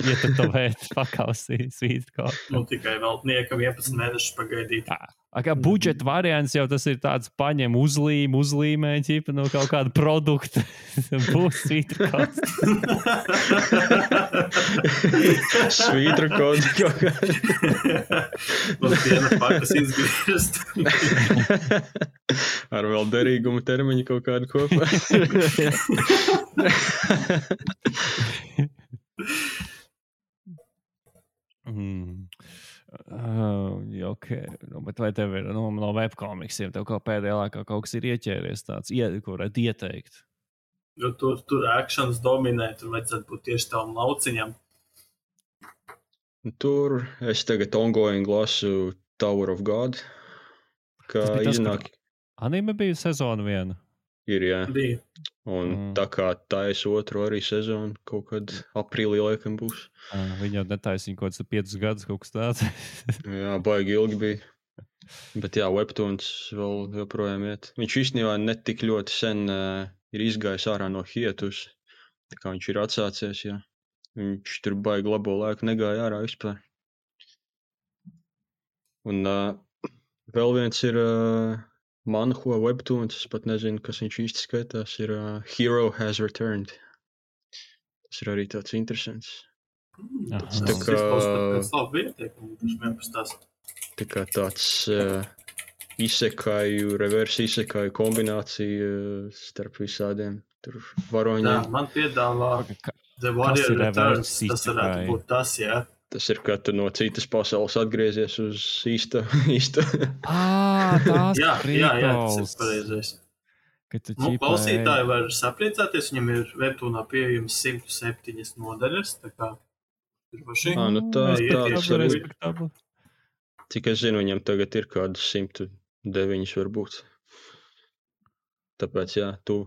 ietatavēt pakausī svītru kaut. Nu, tikai vēl niekam vienpadsmit mēnešus pagaidīt. Kā budžeta variants jau tas ir tāds paņem uzlīm, uzlīmē ķipa no kaut kāda produkta. Būs svītru kaut. Svītru kaut kaut kā. No viena pakas izgriezt. Ar vēl derīgumu termiņu kaut kādu kopā. mm. Uh, ok, nu, bet vai tev ir no, no webkomiksiem, tev kaut pēdējā laikā kaut kas ir ieķēries tāds, ie, ko varētu ieteikt? Jo tur, tur actions dominē, tur vajadzētu būt tieši tavam lauciņam. Tur es tagad ongoing lasu Tower of God, kā iznāk. Anime bija sezona viena? Ir, jā. Bija. Un mm. tā kā tais otru arī sezonu, kaut kad aprīlī laikam būs. Uh, viņa jau netaisīja kaut kāds piecus gadus, kaut kas tāds. Jā, baigi ilgi bija. Bet jā, Webtoons vēl joprojām iet. Viņš īstenībā netik ļoti sen uh, ir izgājis ārā no hietus. Tā kā viņš ir atsācies, jā. Viņš tur baigi labo laiku negāja ārā vispār. Un uh, vēl viens ir... Uh, Manhua Webtoons, es pat nezinu, kas viņš īsti skaitās, ir uh, Hero Has Returned. Tas ir arī tāds interesants. Mm, tas tā kā... Tas labi ieteikumu, tas vienpastās. Tā kā tāds uh, isekāju, reverse isekāju kombinācija uh, starp visādiem tur varoņiem. Jā, man piedāvā The Warrior Returns, tas varētu būt tas, jā. Tas ir, kad tu no citas pasaules atgriezies uz īsta. īsta. Ah, tās jā, jā, jā, tas ir pareizais. Nu, klausītāji var sapriecāties, viņam ir Webtoonā pieejams simt septiņas nodaļas, tā kā ir paši. Ah, nu tā, tā, tas arī. Respektabli. Cik es zinu, viņam tagad ir kādas simt deviņas varbūt. Tāpēc, jā, tu.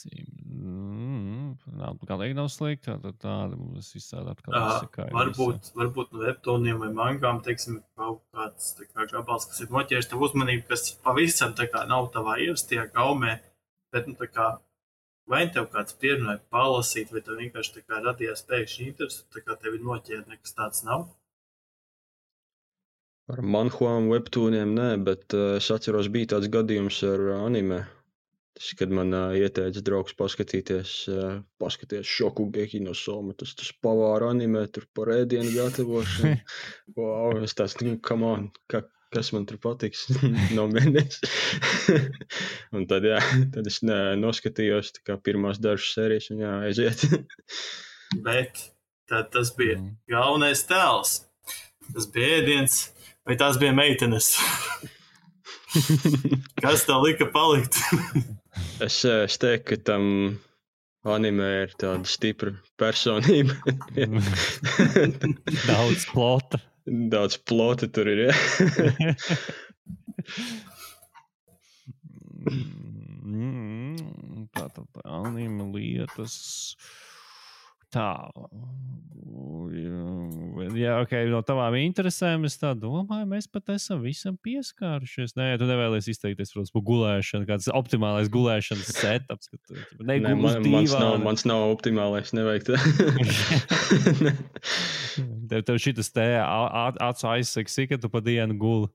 Mm, nav, galīgi nav slikti, tad tāda mums visādi atkal izsakāja. Varbūt, varbūt no webtooniem vai mangām, teiksim, kaut kāds tā kā gabals, kas ir noķēris tavu uzmanību, kas pavisam tā kā nav tavā ierastajā gaumē, bet, nu, tā kā, vai tev kāds pierunāja palasīt, vai tev vienkārši tā kā radījās pēkšņi interesi, tā kā tev ir noķēri, nekas tāds nav? Ar manhuām webtooniem nē, bet uh, es atceros, bija tāds gadījums ar anime. Tas, kad man uh, ieteica draugs paskatīties, uh, paskaties Shokugeki no Soma, tas, tas pavāra anime, tur par ēdienu gatavošanu. Wow, es tāds, nu, come on, ka, kas man tur patiks, no mēnes. Un tad, jā, tad es ne, noskatījos tā kā pirmās dažas sērijas un jā, aiziet. Bet tad tas bija galvenais tēls. Tas bija ēdiens, vai tās bija meitenes? Kas tev lika palikt? es, es teiktu, ka tam anime ir tāda stipra personība. Daudz plota. Daudz plota tur ir, jā. Tā tad anime lietas. tā. Jā, ok, no tavām interesēm es tā domāju, mēs pat esam visam pieskārušies. Nē, tu nevēlies izteikties, protams, par gulēšanu, kāds optimālais gulēšanas setups. Tu, ne, Nē, man, mans, nav, mans nav optimālais, nevajag tā. tev, tev šitas te acu aizsaki, ka tu pa dienu guli.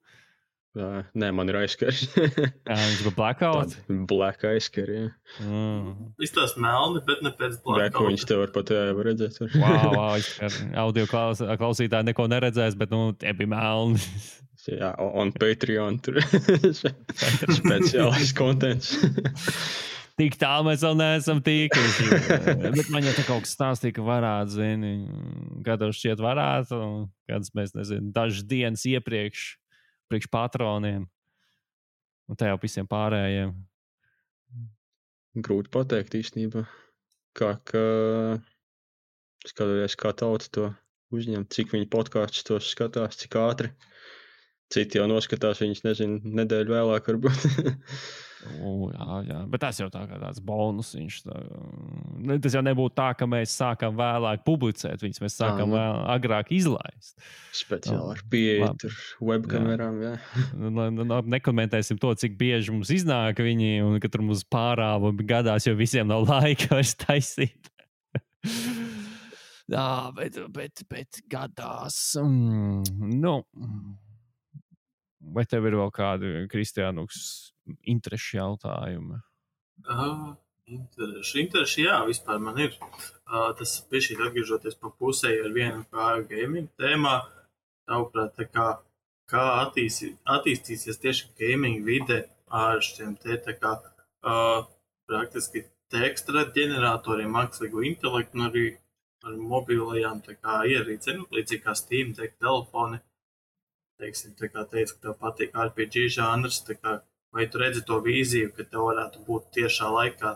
Jā, nē, man ir aizskars. Jā, viņš ir blackout? Black aizskar, jā. Mm. Izstās melni, bet ne pēc blackout. Ko viņš te var pat jā, var redzēt. Var. Wow, wow, audio klaus, klausītāji neko neredzēs, bet, nu, tie bija melni. Jā, on Patreon tur speciālais kontents. Tik tālu mēs vēl neesam tīkuši. Bet man jau te kaut kas stāstīja, ka varētu, zini, kādā šķiet varētu, kādas mēs, nezinu, dažas dienas iepriekš priekš patroniem un tajā visiem pārējiem. Grūti pateikt īstenībā. Kā, ka skatoties, kā tauta to uzņem, cik viņi podkāstus tos skatās, cik ātri. Citi jau noskatās viņus, nezinu, nedēļu vēlāk varbūt. U, jā, jā, bet tas jau tā kā tāds bonus. Tā, tas jau nebūtu tā, ka mēs sākam vēlāk publicēt viņus, mēs sākam jā, vēl agrāk izlaist. Speciāli ar pieeju tur webkamerām, jā. jā. Nekomentēsim to, cik bieži mums iznāk viņi, un ka tur mums pārāva gadās, jo visiem nav laika vairs taisīt. jā, bet, bet, bet gadās. Mm, nu... Vai tev ir vēl kādi, Kristiānuks, interešu jautājumi? Uh, intereši, intereši, jā, vispār man ir. Uh, tas bišķi atgriežoties pa pusē ar vienu kā gaming tēmā. Tavuprāt, tā kā, kā attīstī, attīstīsies tieši gaming vide ar šiem te tā kā uh, praktiski teksta ģeneratoriem, mākslīgo intelektu un arī ar mobilajām tā kā ierīcēm, līdzīgi kā Steam Deck telefoni. Teiksim, tā kā teicu, ka tev patīk R P G žanrs, tā kā, vai tu redzi to vīziju, ka tev varētu būt tiešā laikā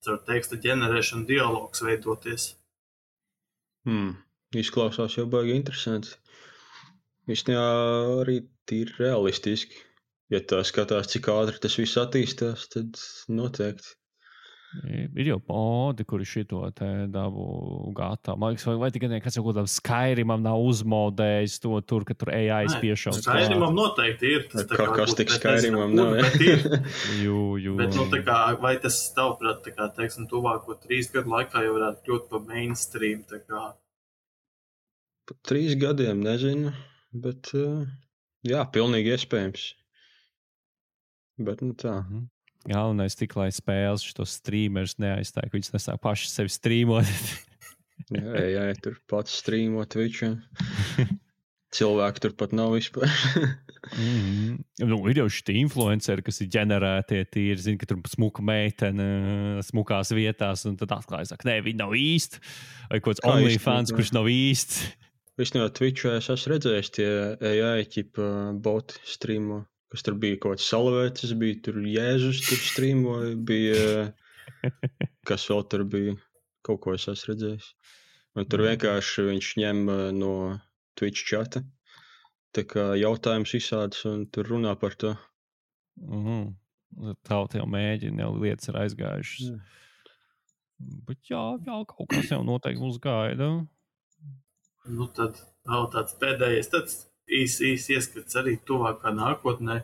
caur teksta ģenerēšanu dialogs veidoties? Hmm, izklausās jau baigi interesanti. Īstenībā arī tīri realistiski. Ja tā skatās, cik ātri tas viss attīstās, tad noteikti. Ir jau modi, kuri šito te dabu gatavu. Man liekas, vai, vai tikai kāds jau kādam Skyrimam nav uzmodējis to tur, ka tur A I spiešams. Skyrimam noteikti ir. Tas, kā, kā kas tik Skyrimam nav, bet ir. jū, jū. Bet, nu, tā kā, vai tas tavuprāt, tā kā, teiksim, tuvāko trīs gadu laikā jau varētu kļūt pa mainstream, tā kā? Pa trīs gadiem, nezinu, bet, jā, pilnīgi iespējams. Bet, nu tā. Mhm. Galvenais tik, lai spēles šitos streamers neaizstāja, ka viņas nesāk paši sevi streamot. jā, jā, tur pats streamot Twitchā. Cilvēki tur pat nav vispār. mm-hmm. Nu, ir jau šitie influenceri, kas ir ģenerētie tīri, zina, ka tur smuka meitene smukās vietās, un tad atklāja, ka nē, viņi nav īsti. Vai kaut kāds OnlyFans, kurš nav īsts. Visnībā Twitchā es esmu redzējis tie A I ķipa boti streamo. Kas tur bija kaut kāds Salavēcis, bija tur Jēzus, tur streamoja, bija, kas vēl tur bija, kaut ko es esmu redzējis. Un tur vienkārši viņš ņem no Twitch čata, tā kā jautājums izsādas un tur runā par to. Mm-hmm. Tauta jau mēģina, jau lietas ir aizgājušas. Mm. Bet jā, jā, kaut kas jau noteikti mūs gaida. Nu tad vēl tāds pēdējais, tāds īsi, īsi ieskats arī tuvākā nākotnē.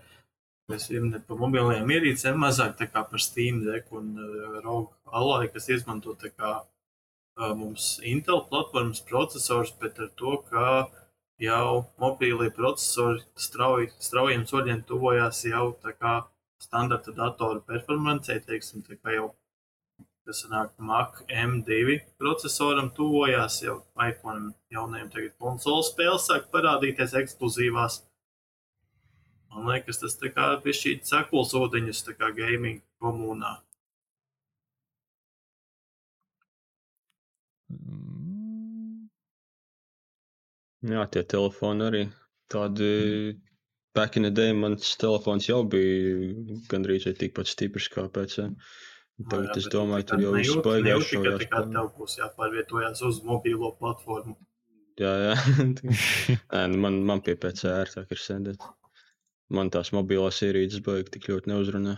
Mēs jau ne pa mobilajām ierīcēm, mazāk tā kā par Steam Deck un uh, R O G Ally, kas izmanto tā kā uh, mums Intel platformas procesors, bet ar to, ka jau mobīlie procesori strauji, straujiem soļiem tuvojās jau tā kā standarta datoru performancei, teiksim, tā kā jau, kas sanāk Mac M divi procesoram tuvojās, jau iPhone jaunajiem tagad konsolu spēles sāk parādīties ekskluzīvās. Man liekas, tas tā kā bišķīt sakuls ūdeņus tā kā gaming komunā. Jā, tie telefoni arī tādi, back in the day mans telefons jau bija gandrīz vai tikpat stiprs kā pēc. Tagad es domāju, tur jau viss baigās šo jāspēr. Tā kā tev būs jāpārvietojās uz mobīlo platformu. Jā, jā. man, man pie P C ērtāk ir sēdēt. Man tās mobilās ierīces baigi tik ļoti neuzrunā.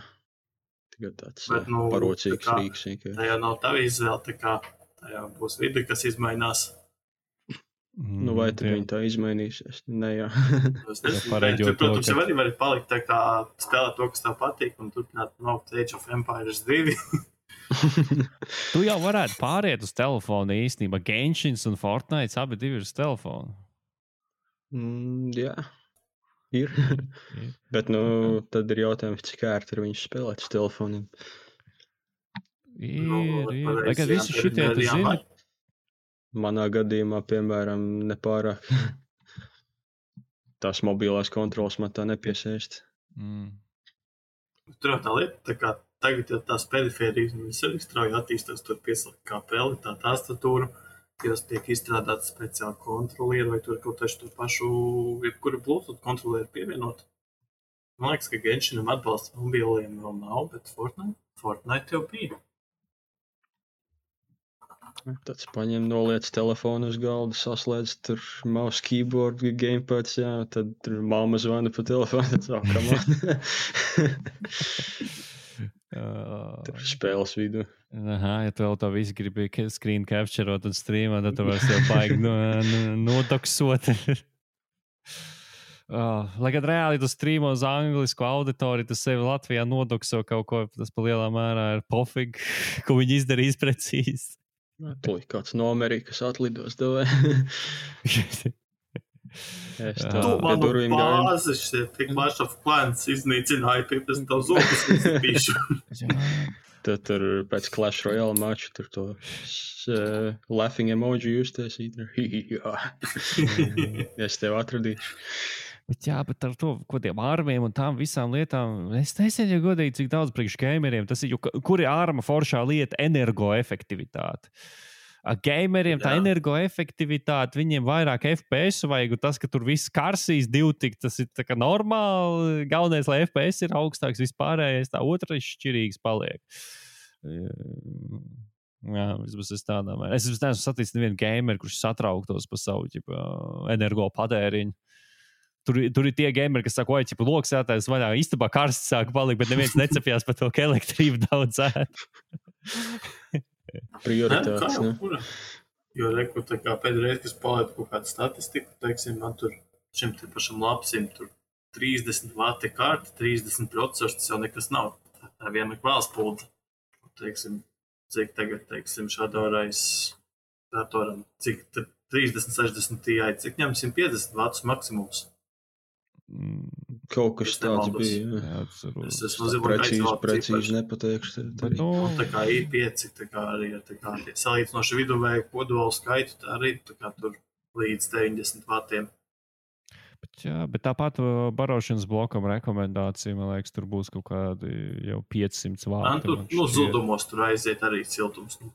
Tikai tāds Bet, nu, parocīgs tā kā, rīks. Tā jau nav tava izvēle, tā kā Jā, būs vidi, kas izmainās. Nu, vai tad viņi tā izmainīsies? Nē, jā. Es nezinu, bet tur, protams, jau arī var palikt tā kā spēlēt to, kas tev patīk, un turpināt nokļūt Age of Empires divi. Tu jau varētu pāriet uz telefonu īstenībā. Genshin un Fortnite abi divi ir uz telefonu. Mm, jā, ir. Bet, nu, tad ir jautājums, cik ērti ir viņus spēlēt uz telefoniem. Ir, Nu, ir. pareizi, Lai gan jā, visi tur šitie, ir tu zini, jāmēģina. Manā gadījumā, piemēram, nepārāk tās mobilās kontrolas man tā nepiesaist. mm. Tur jau tā lieta, tā kā tagad jau tās perifērijas, viņas arī strauji attīstās, tur pieslēgt kā peli, tā tastatūra, kas tiek izstrādāta speciāli kontrolieri, vai tur kaut taču to pašu, jebkuru Bluetooth kontrolieri pievienot. Man liekas, ka Genshinam atbalsts mobiliem vēl nav, bet Fortnite, Fortnite jau bija. Tāds paņem, noliec telefonu uz galda, saslēdz tur mouse, keyboard, gamepads, jā, tad tur mamma zvana pa telefonu, tad tā, come on. Tur spēles vidu. Aha, ja tu vēl to visu gribi screen captureot un streamot, tad tu vairs jau baigi no, no, nodoksot. Oh, lai gan reāli tu streamo uz anglisku auditoriju, tu sevi Latvijā nodokso kaut ko, tas pa lielā mērā ir pofig, ko viņi izdarīs precīzi. Tūlīt kāds no Amerikas atlidos davē. Es Tu tā, pie manu durvīm gāju. bāzi, šie tik Clash of Clans iznīcināja, pie pēc tev zobus izpīšu. Tad tur pēc Clash Royale mača tur to uh, laughing emoji justies. Jā. Es tev atradīšu. Bet jā, bet ar to, ko tiem ārmiem un tām visām lietām, es nezinu, ja godīgi, cik daudz priekš gameriem tas ir, jo kur ir ārma foršā lieta energoefektivitāte. Gameriem tā Jā. energoefektivitāte, viņiem vairāk F P S vajag, un tas, ka tur viss karsīs divtik, tas ir tā kā normāli. Galvenais, lai F P S ir augstāks vispārējais, tā otra šķirīgs paliek. Jā, vismaz es tādā mērā. Es neesmu saticis nevienu gameru, kurš satrauktos par savu ģipa, energo patēriņu. Tur, tur ir tie gameri, kas saka, oi, ķipa, loksētājs vaļā, istabā karsts sāk palikt, bet neviens necepjās par to, ka elektrība daudz ēt. Prioritātes, ne? ne? Jo reku, tā kā pēdreiz, kas palaidu kaut kādu statistiku, teiksim, man tur šim te pašam lapsim tur trīsdesmit vati karti, trīsdesmit procesors, tas jau nekas nav. Tā, tā viena kvēlspulda. Teiksim, cik tagad, teiksim, šādorais datoram, cik trīsdesmit, sešdesmit Ti, cik ņem simt piecdesmit vatus maksimums. Kaut kas Es tāds nemaldos. bija. Jā. Jā, Es tas esmu zinu, Precīzi, precīzi nepateikšu. Bet, nu, Un tā kā I pieci, tā kā arī ir tā kā salīdzinoši viduvēju kodolu skaitu, tā arī tā kā tur līdz deviņdesmit vatiem. bet, jā, bet tāpat uh, barošanas blokam rekomendācija, man liekas, tur būs kaut kādi jau piecsimt Man vāti. tur, man nu, šķiet. zudumos tur aiziet arī siltums. Nu,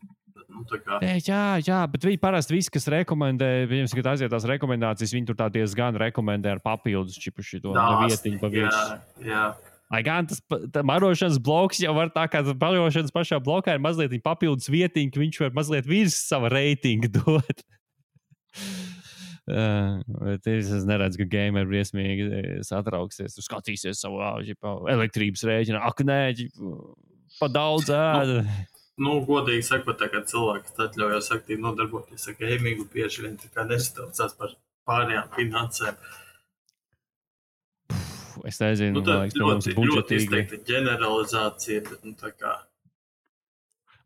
nu tā kā, Nē, jā, jā, bet viņi parasti visi, kas rekomendē, viņiem, kad aiziet tās rekomendācijas, viņi tur tā diezgan rekomendē ar papildus čipu šito vietiņu pa jā, virsmu. jā. Lai gan tas pa- tā barošanas bloks jau var tā kā tas barošanas pašā blokā ir mazliet papildus vietiņa, ka viņš var mazliet virs sava reitinga dot. Uh, bet es neredzu, ka gameri briesmīgi satrauksies. Tur skatīsies savu ģipa, elektrības rēķinu. Ak, nē, ģipa, pa daudz ēda. Nu, godīgi sakot, tā kā cilvēks atļaujas aktīvi nodarboties ar gamingu, bieži vien tā kā nesataucās par pārējām finansēm. Es nezinu, Nu, man tā liekas, ka mums ļoti, ir ļoti budžetīgi. izteikta ģeneralizācija, bet, nu, tā kā,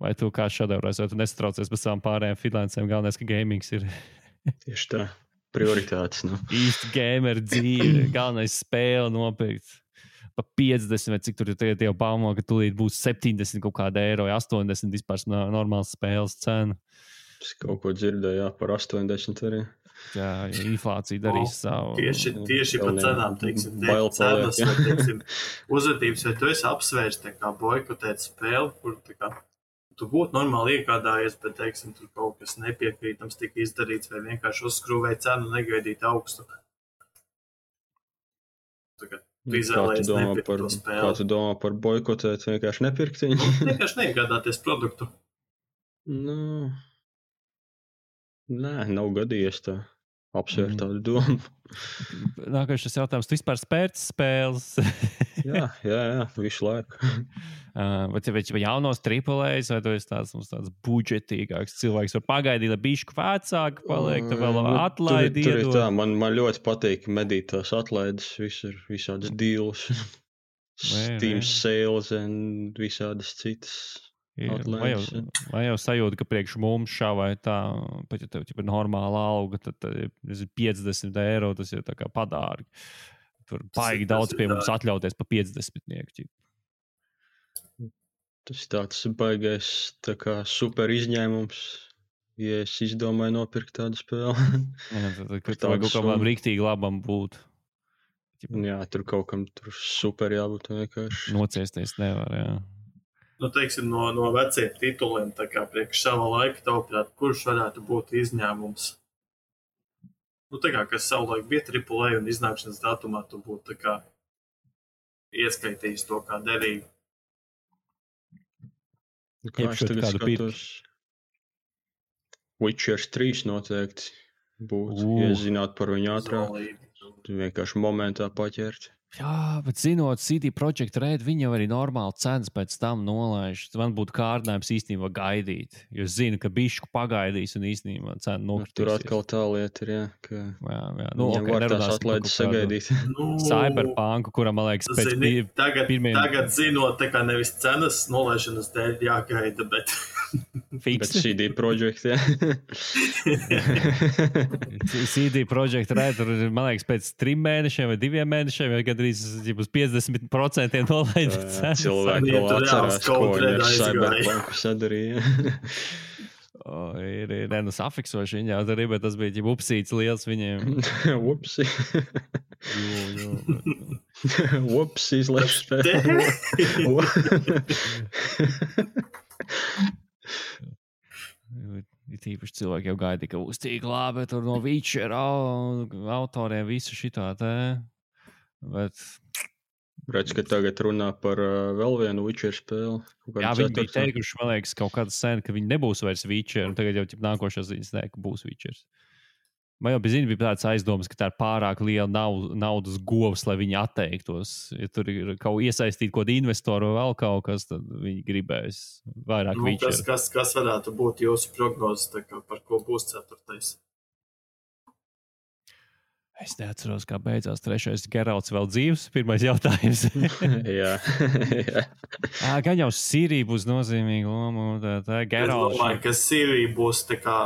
Vai tu kā šādās, vai tu nesatraucies par savām pārējām finansēm? Galvenais, ka gamings ir Tieši tā. Prioritātes, nu. īsti gameru dzīve. Galvenais spēle nopirkt. Pa piecdesmit, vai cik tur ir tagad jau baumo, ka tūlīt būs septiņdesmit kaut kāda eiro, vai astoņdesmit vispār no- normāls spēles cena. Es kaut ko dzirdēju, jā, par astoņdesmit arī. Jā, inflācija darīs savu. tieši, tieši par Galvenajā cenām, teiksim, te bail cenas, paliek, vai, teiksim, uzvedības, vai tu esi apsvērs, tā kā boikotēt spēli, kur, tā kā, tu būtu normāli iegādājies, bet, teiksim, tur kaut kas nepiekrītams tika izdarīts, vai vienkārši uzskrūvēja cenu, negaidīt augstu. Tā kā tu Kā tu izvēlējies domā nepirkt par, to kā spēli. tu domā par boikotēt, vienkārši nepirkt viņu? Vienkārši neiegādāties produktu. Nu, nē, nav gadījies tā. apsvērt tādu domu. Nākamais šis jautājums, tu vispār spērts spēles? jā, jā, jā, visu laiku. uh, vai tev ir jaunos triplēs, vai tu esi tāds, tāds budžetīgāks cilvēks, var pagaidīt, lai bišķi vecāki paliek, tu vēl Nu, atlaidi tur, tur ir iedod. tā, man, man ļoti patīk medīt tās atlaides, visur, visādas deals, Steam sales un visādas citas. Ir, vai, jau, vai jau sajūta, ka priekš mums šā vai tā, pat ja tev ir normāla alga, tad, tad ir piecdesmit eiro, tas ir tā kā padārgi. Tur baigi daudz pie mums atļauties pa piecdesmitnieku. Tas tāds baigais tā kā super izņēmums, ja es izdomāju nopirkt tādu spēli. Jā, tad, kad tev vajag kaut kādam riktīgi labam būt. Jā, tur kaut kam tur super jābūt vienkārši. Nociesties nevar, jā. Nu, teiksim, no, no veciem tituliem, tā kā priekš sava laika tavuprāt, kurš varētu būt izņēmums? Nu, tā kā, kas savulaik bija triple A un iznākšanas datumā, tu būtu tā kā ieskaitījis to kā derīgu. Kā es tagad skatos? Witcher trīs noteikti būtu, uh. ja zinātu par viņu ātrāk. Tu vienkārši momentā paķert. Jā, bet zinot C D Projekt Red, viņi jau arī normāli cenas pēc tam nolaiž. Man būtu kārdinājums īstenībā gaidīt, jo es zinu, ka bišku pagaidīs un īstenībā cena nokritīsies. Tur atkal tā lieta ir, jā, ka jā, jā. Nu, viņam okay, var tās atlaides sagaidīt. Nu, Cyberpunku, kuram, man liekas, pēc zini, tagad, pirmiem... tagad zinot, tā kā nevis cenas nolaišanas dēļ jāgaida, bet... Bet C D Projekt, jā. C D Projekt Red, tur, man liekas, pēc trim mēnešiem vai diviem mēnešiem, vai gandrīz uz piecdesmit procenti nolaida cenas. Cilvēki vēl atcerās, ko viņi ar Cyberpunku sadarīja. O, ir, ir, ne, nu safiksoši viņi jau tur ir, bet tas bija ģib upsīts liels viņiem. Upsi. Jū, jū. Upsi izlaiž spēlē. Ir tīpaši cilvēki jau gaidīja, ka būs tik labi tur no Witcher autoriem visu šitā te. Bet... Redz, ka tagad runā par uh, vēl vienu Witcher spēli. Jā, viņi bija teikuši, man liekas, kaut kāda sen, ka viņi nebūs vairs Witcher, un tagad jau nākošās ziņas ne, ka būs Witchers. Man jau bija, zini, bija tāds aizdomas, ka tā ir pārāk liela nav, naudas govs, lai viņi atteiktos. Ja tur ir kaut iesaistīt kaut investoru vai vēl kaut kas, tad viņi gribēs vairāk nu, Witcher. Kas, kas, kas varētu būt jūsu prognozes, tā kā par ko būs ceturtais? Es neatceros, kā beidzās trešais Geralts vēl dzīvs. Pirmais jautājums. jā, jā. À, gan jau Sirija būs nozīmīga loma. Tā, tā, Geralts. Es domāju, ka Sirija būs tā kā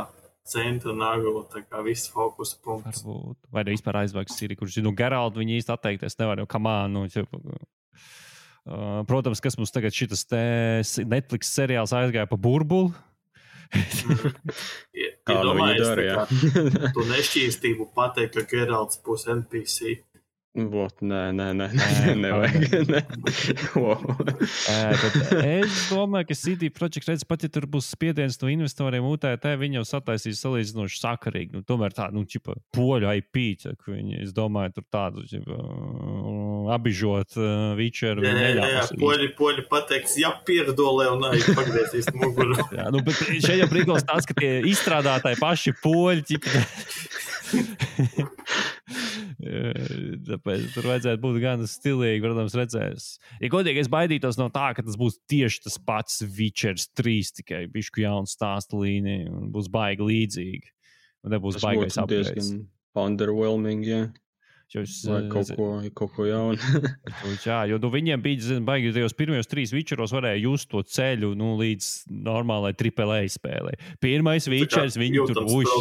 centra nagla, tā kā viss fokusa punkts. Varbūt. Vai ne vispār aizvāks Siriju, kurš, nu, Geraltu viņi īsti atteikties nevar, jo kamā, nu, uh, protams, kas mums tagad šitas te Netflix seriāls aizgāja pa burbuli. ja, ja domājies, tā kā tu nešķīstību pateikt, ka Geralts būs N P C. Vot, nē, nē, nē, nē, nevajag. Nē. Wow. Es domāju, ka C D Projekt Red, pat ja tur būs spiediens no investoriem U T T, viņi jau sataisīs salīdzinoši sakarīgi. Nu, tomēr tā, nu, čipa, poļu I P, ka viņi, es domāju, tur tādu, čipa, abižot uh, Witcheru. Jā, jā, jā, poļi, poļi pateiks, jā, pieredolē un arī pagriezīs muguru. Jā, nu, bet šeit jau prikals tāds, ka tie izstrādātāji paši poļi, čipa, tāpēc tur vajadzētu būt gan stilīgi, protams, redzēs. Ja godīgi, es baidītos no tā, ka tas būs tieši tas pats Witchers trīs, tikai bišku jaunu stāstu līniju, un būs baigi līdzīgi. Un nebūs tas baigais upgrades. Tas būtu diezgan underwhelming, jā. Jūs, vai kaut ko, kaut ko jaunu. Jā, jo nu, viņiem bija, zin, baigi, tajos pirmajos trīs Witcheros varēja just to ceļu, nu, līdz normālai triple A spēlē. Pirmais Witchers, viņi tur uš.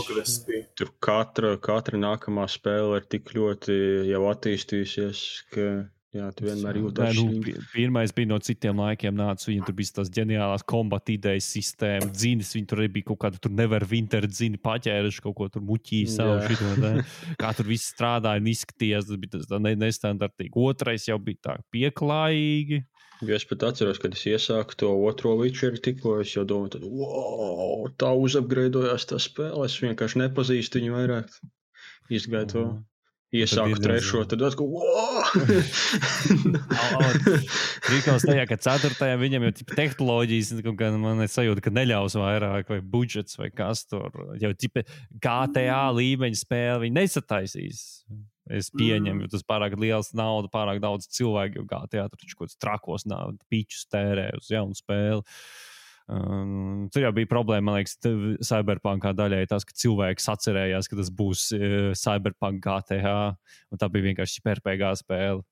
Tur katra, katra nākamā spēle ir tik ļoti jau attīstījusies, ka, jā, tu vienmēr jūtas. Nu, pirmais bija no citiem laikiem nācis, viņiem tur bija tās ģeniālās kombat idejas sistēma, dzīnes, viņi tur arī bija kaut kāda, tur nevar winter dzīni paķēruši, kaut ko tur muķīja savu šito, ne? Kā tur viss strādāja un izskatījās, tas bija tas tā nestandartīgi. Otrais jau bija tā pieklājīgi. Jo es pat atceros, kad es iesāku to otro Witcheru tikko, es jau domāju, tad, wow, tā uzapgraidojās tā spēle, es vienkārši nepazīstu viņu vairāk. Izgāju to. Iesāku trešo, tad atkal, wow! Trīkals tajā, ka ceturtajā viņam jau tehnoloģijas, gan man ir sajūta, ka neļaus vairāk, vai budžets, vai kas tur. Jau tipa G T A līmeņa spēle viņi nesataisīs. Es pieņemu, jo tas pārāk liels nauda, pārāk daudz cilvēku, jo G T A tur taču kaut kāds trakos naudu, pičus tērē uz jaunu spēli. Um, tur jau bija problēma, man liekas, Cyberpunkā daļai tas, ka cilvēki sacerējās, ka tas būs uh, Cyberpunk G T A, un tā bija vienkārši R P G spēle.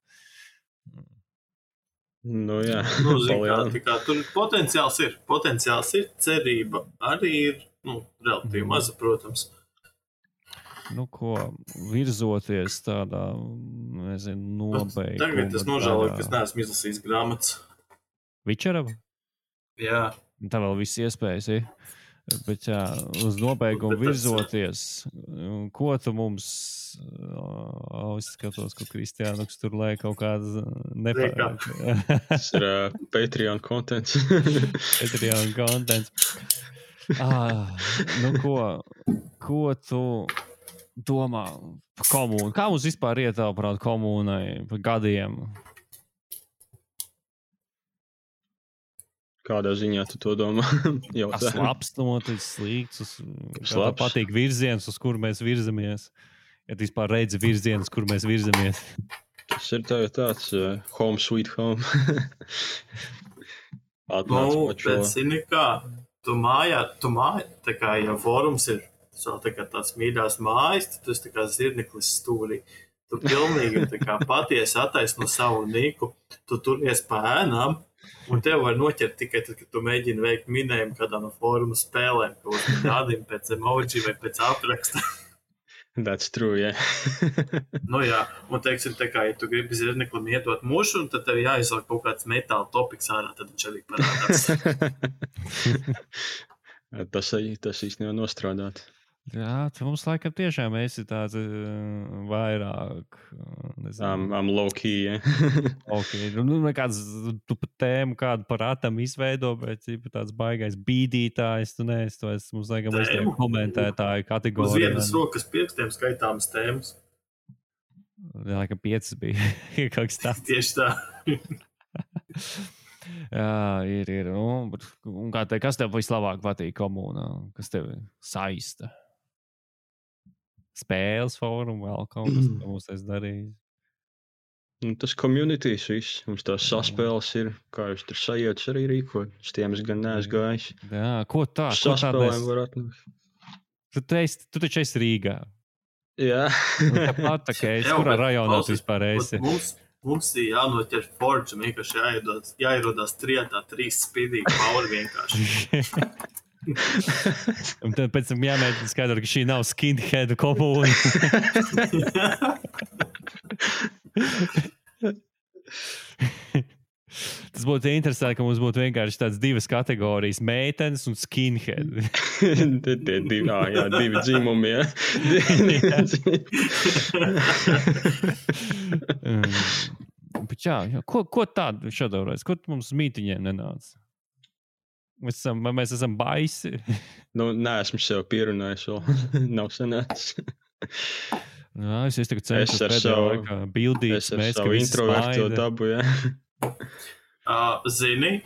Nu, jā. Nu, zin, kā, tā kā, tur potenciāls ir, potenciāls ir, cerība arī ir, nu, relatīvi mm. maza, protams. Nu, ko, virzoties tādā, nezinu, nobeiguma. Tagad es nožēloju, ka es neesmu izlasījis grāmatas. Witchera? Jā. Tā vēl viss iespējas, ja? Bet jā, uz nobeigumu virzoties, ko tu mums, o, es skatos, ka Kristiānuks tur lēk kaut kādas nepārāk. Tas ir uh, Patreon contents. Patreon contents. Ah, nu ko, ko tu domā par komūnu? Kā mums vispār ietāprāt komūnai par gadiem? Kādā ziņā tu to domā? Tas labs noticis, slikts, kā patīk virziens, uz kur mēs virzamies. Ja tu vispār redzi virzienus, kur mēs virzamies. Tas ir tā, tāds uh, home sweet home. Nu, bet zini kā, tu mājā, tu mājā, tā kā, ja forums ir tā kā tāds mīļās mājas, tad tu esi tā kā zirneklis stūrī. Tu pilnīgi tā kā patiesi attaisno savu niku, tu turies pa ēnām, un tev var noķert tikai tad, kad tu mēģini veikt minējumu kādā no fóruma spēlēm, ko uz kādiem pēc emoji vai pēc apraksta. That's true, yeah. Nu jā, un teiksim, tā kā, ja tu gribi zirneklim iedot mušu, tad tev jāizsāk kaut kāds metāla topiks ārā, tad viņš arī parādās. tas, tas īsti nevar nostrādāt. Jā, tu mums laikam tiešām esi tāds uh, vairāk, nezinu. I'm, I'm low key, yeah. Ok, nu nekāds, tu pat tēmu kādu par atam izveido, bet tāds baigais bīdītājs, tu neesi, tu esi mums laikam esi komentētāju kategorija. Uz vienas rokas pirkstiem skaitāmas tēmas. Jā, laikam piecas bija, kaut kas tāds. Tieši tā. Jā, ir, ir. Un, un kā te, kas tev vislabāk patīk komūnā? Kas tev saista? Spēles fórumu vēl kaut kas, ko mums es darīju. Nu, tas communities viss. Mums tās saspēles ir, kā jūs tur sajūtas arī rīkot. Es tiem es gan neesmu gājis. Jā, ko tā? Saspēlēm var atnākt. Tu, esi, tu taču esi Rīgā. Jā. Tāpat tā kā es, kurā rajonā tu vispār esi? Mums, mums ir jānoķer Forge, vienkārši jāierodās, jāierodās trietā, trīs spīdīgi pauri vienkārši. Un tad pēc tam jāmēģina skaidrot, ka šī nav skinhead komūna. Tas būtu interesanti, ka mums būtu vienkārši tādas divas kategorijas - meitenes un skinhead. Tie divi, jā, jā, divi dzimumi, jā. Bet jā, jā, ko, ko tādu šādreiz? Ko tu mums mītiņiem nenāc? Mēs esam, mēs esam baisi. Nu, neesmu sev pierunājis vēl. Nav sanācis. Jā, es esmu tagad cenšos pēdējā laikā bildīt. Es ar savu introverto dabu, jā. Uh, zini,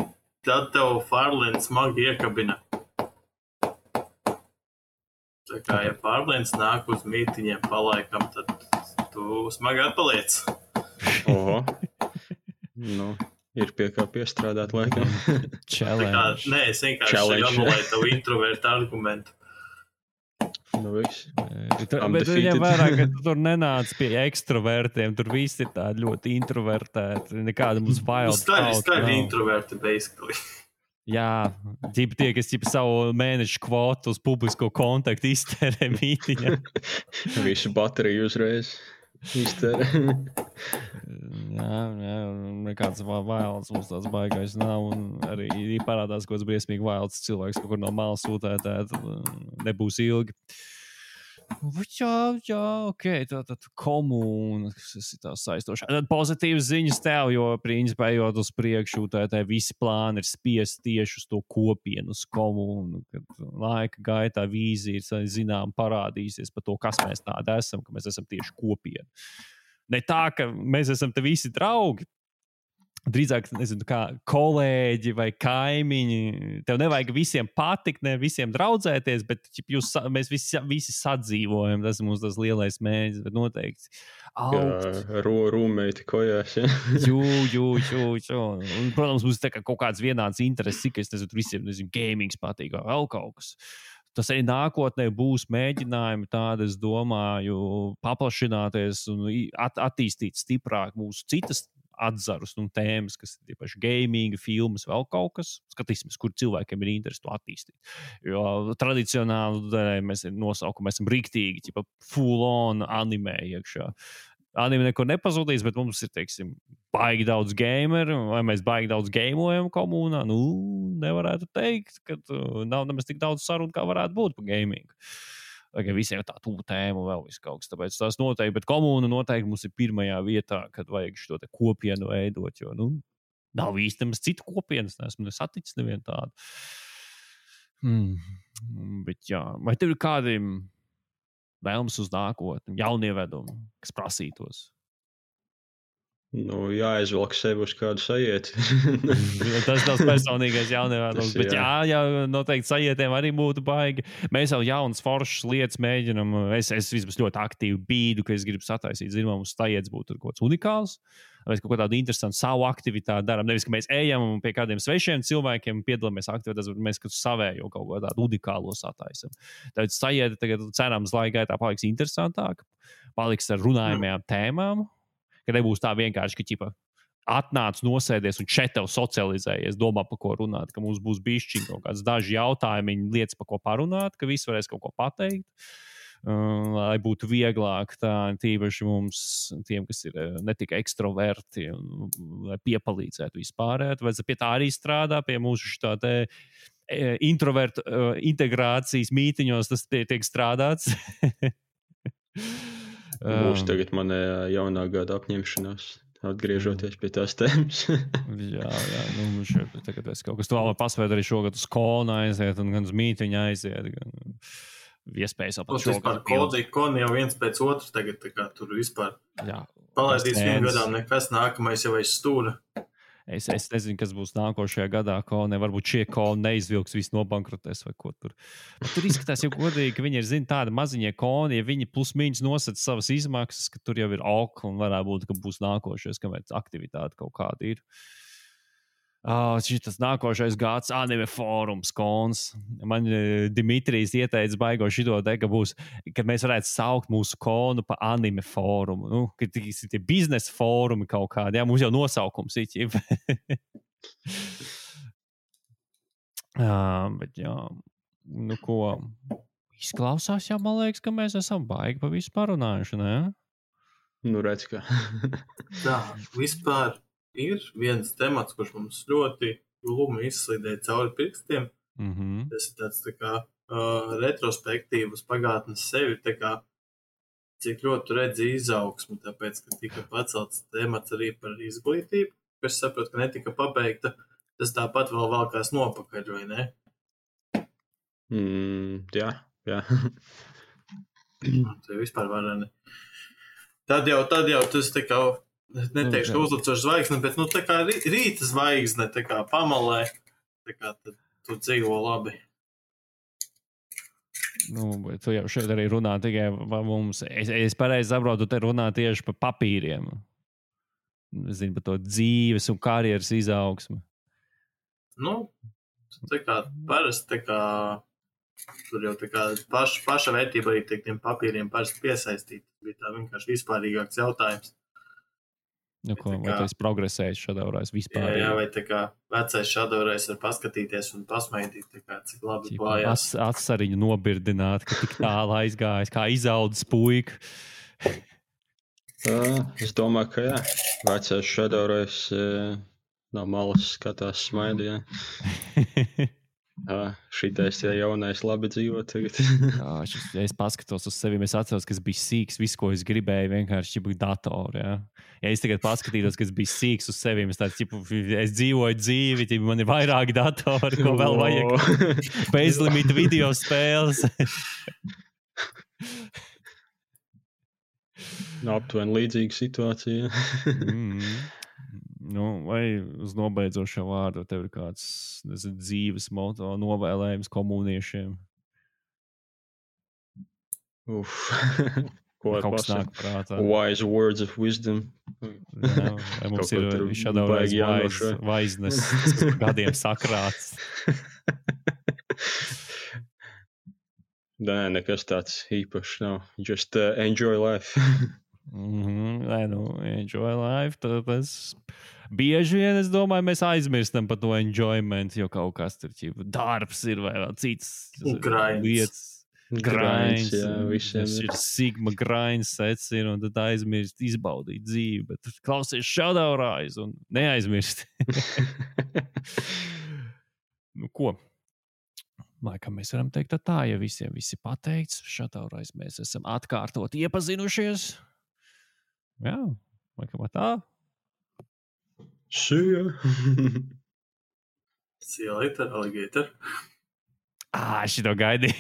tad tev Farlēns smagi iekabina. Tā kā, ja Farlēns nāk uz mītiņiem palaikam, tad tu smagi atpaliec. Oho. Nu. Ir pie kā piestrādāt laikam. Challenge. Nē, es vienkārši anulēju tavu introvertu argumentu. Nu, viss. Bet viņam vairāk, ka tu tur nenāc pie ekstravertiem, tur visi ir tādi ļoti introvertēti, nekāda mums wild thought. Skaļi, skaļi introverti, basically. Jā, ģipa tie, kas ģipa savu mēnešu kvotu uz publisko kontaktu iztērē mītiņā. Visu bateriju uzreiz. Iztērē. Jā, jā, nekāds wilds mums tāds baigais nav, un arī parādās kaut kāds briesmīgi wilds cilvēks, kaut kur no malas sūtētēt, nebūs ilgi. Jā, jā, ok, tā tad komūna, kas ir tā saistoša. Tad pozitīvas ziņas tev, jo principā ejot uz priekšu, tā, tā visi plāni ir spiest tieši uz to kopienu, uz komūnu, kad laika gaitā vīzija ir, zinām, parādīsies par to, kas mēs tādi esam, ka mēs esam tieši kopiena. Ne tā, ka mēs esam te visi draugi, drīzāk, nezinu, kā kolēģi vai kaimiņi. Tev nevajag visiem patikt, ne visiem draudzēties, bet jūs, mēs visi, visi sadzīvojam. Tas ir mums tas lielais mērķis, bet noteikti augt. Ro, rūmeiti kojās, ja? Jū, jū, jū, jū. Un, protams, mums tā kā kaut kāds vienāds intereses, ka es nezinu, visiem, nezinu, gamings patīk, vai vēl kaut kas. Tas arī nākotnē būs mēģinājumi tādi, es domāju, paplašināties un at, attīstīt stiprāk mūsu citas atzarus un tēmas, kas ir tiepaši gaming, filmas, vēl kaut kas. Skatīsimies, kur cilvēkiem ir interesi to attīstīt. Jo tradicionāli mēs nosaukumu, mēs esam riktīgi, tipa full on anime iekšā. Anime nekur nepazudīs, bet mums ir, teiksim, baigi daudz gameru, vai mēs baigi daudz gamojam komunā. Nu, nevarētu teikt, ka nav nemaz tik daudz sarunu, kā varētu būt par gamingu. Vai visiem tā tuvu tēmu vēl viss kaut kas. Tāpēc tas noteikti, bet komūna noteikti mums ir pirmajā vietā, kad vajag šo te kopienu veidot, jo, nu, nav īsti nemaz citu kopienas, neesmu saticis nevienu tādu. Hmm. Bet jā, vai tev ir kādi vēlmes uz nākotni, jaunievedumi, kas prasītos? Nu, jāizvelk sevi uz kādu sajieti. Tas nav personīgais jaunievedums, bet jā, jā, jā, noteikti sajietiem arī būtu baigi. Mēs jau jaunas foršas lietas mēģinam. Es, es vismaz ļoti aktīvi bīdu, ka es gribu sataisīt, zinām, mums sajietas būtu kaut kāds unikāls. Mēs kaut kādu interesantu savu aktivitāti darām. Nevis, ka mēs ejam pie kādiem svešiem cilvēkiem, piedalāmies aktivitātēs, bet mēs kaut savējo kaut ko tādu unikālo sataisam. Tad sajieta tagad cerams laika gaitā paliks interesantāk, paliks ar runājumajām tēmām. Ka nebūs tā vienkārši, ka ķipa atnāc, nosēdies un šeit tev socializējies, domā, par ko runāt, ka mums būs bišķiņ kaut kāds daži jautājumi, lietas, par ko parunāt, ka visi varēs kaut ko pateikt, uh, lai būtu vieglāk tā, tīpaši mums, tiem, kas ir ne tikai ekstraverti, un, lai piepalīdzētu vispārēt, vai pie tā arī strādā, pie mūsu šitā te introvertu uh, integrācijas mītiņos, tas tie, tiek strādāts. Būs tagad manē jaunā gada apņemšanās, atgriežoties pie tās tēmas. jā, jā, nu šeit tagad es kaut kas to vēl pasvērt arī šogad uz konu aiziet un gan uz mītiņu aiziet, gan iespējas apat šogad. Par kodī, koni jau viens pēc otru tagad, tā kā tur vispār jā, palaidīs vienu gadām nekas, nākamais jau aiz stūra. Es, es nezinu, kas būs nākošajā gadā, koni, varbūt šie koni neizvilks, viss nobankrotēs vai ko tur. Bet tur izskatās jau godīgi, ka viņi ir, zin, tādi maziņie koni, ja viņi plus mīņas nosaka savas izmaksas, ka tur jau ir ok, un varētu būt, ka būs nākošais, kamēr aktivitāte kaut kāda ir. Oh, šis nākošais gads anime fórums kons. Man Dimitrijs ieteica baigo šito te, ka būs, ka mēs varētu saukt mūsu konu pa anime fórumu. Nu, ka tie biznesa fórumi kaut kādi, jā, mums jau nosaukums ir. jā, bet jā, nu ko, izklausās jau, man liekas, ka mēs esam baigi pa visu parunājuši, ne? Nu, redz, ka. Tā, vispār. Ir viens temats, kurš mums ļoti glumi izslīdēja cauri pirkstiem. Mm-hmm. Tas ir tāds tā kā uh, retrospektīvas pagātnes sevi, tā kā cik ļoti redzi izaugsmu, tāpēc, ka tika pacelts temats arī par izglītību, kas saprot, ka netika pabeigta, tas tāpat vēl valkās nopakaļ, vai ne? Mm, jā, jā. Tā vispār varēni. Tad jau, tad jau tas tā kā neteikšu, ka uzlicošu zvaigzne, bet nu tā kā rīta zvaigzne, tā kā pamalē, tā kā tad tu dzīvo labi. Nu, bet tu jau šeit arī runā tikai mums. Es, es pareizi saprotu, tu te runā tieši par papīriem. Es zinu par to dzīves un karjeras izaugsmu. Nu, tā kā parasti, tā kā tur jau tā kā paša, paša vērtība arī tiek tiem papīriem parasti piesaistīt. Bija tā vienkārši vispārīgāks jautājums. Nu, ko, vai tu esi progresējis šādaurais vispār? Jā, jā, vai tā kā vecais šādaurais var paskatīties un pasmaidīt, tā kā cik labi klājās. Atsariņu nobirdināt, ka tik tālu aizgājis, kā izaudzis puika. Es domāju, ka jā. Vecais šādaurais no malas skatās smaidījā. Ah, šitais ir jaunais, labi dzīvo tagad. Jā, šis, ja es paskatos uz sevi, es atceros, ka es biju sīks. Viss, ko es gribēju, vienkārši bija datori. Ja? Ja es tagad paskatītos, ka es biju sīks uz sevi, es, tāds, ķipu, es dzīvoju dzīvi, ķipu, man ir vairāki datori, ko vēl vajag. Bezlimita video spēles. No, aptuveni līdzīga situācija. mm. Nu, vai uz nobeidzošo vārdu tev ir kāds nezinu, dzīves moto novēlējums komuniešiem? Uf. Ko kaut kas nāk prātā? Wise words of wisdom. Jā, vai mums ir šādaurais wise, wiseness, kas gadiem sakrāts? Nē, nekas tāds īpašs nav. Just uh, enjoy life. mm-hmm, nē, nu, enjoy life. Tas bieži vien, es domāju, mēs aizmirstam par to enjoyment, jo kaut kas tur ķipa, darbs ir vai vēl cits lietas. Grinds, jā, visiem tas ir sigma grinds sets ir, un tad aizmirst izbaudīt dzīvi, bet klausies Shadowrise un neaizmirst. Nu, ko? Laikam mēs varam teikt tā, ja visiem visi pateikts, Shadowrise mēs esam atkārtot iepazinušies. Jā, laikam tā. See ya. See you later, alligator. Ah, šito gaidīju.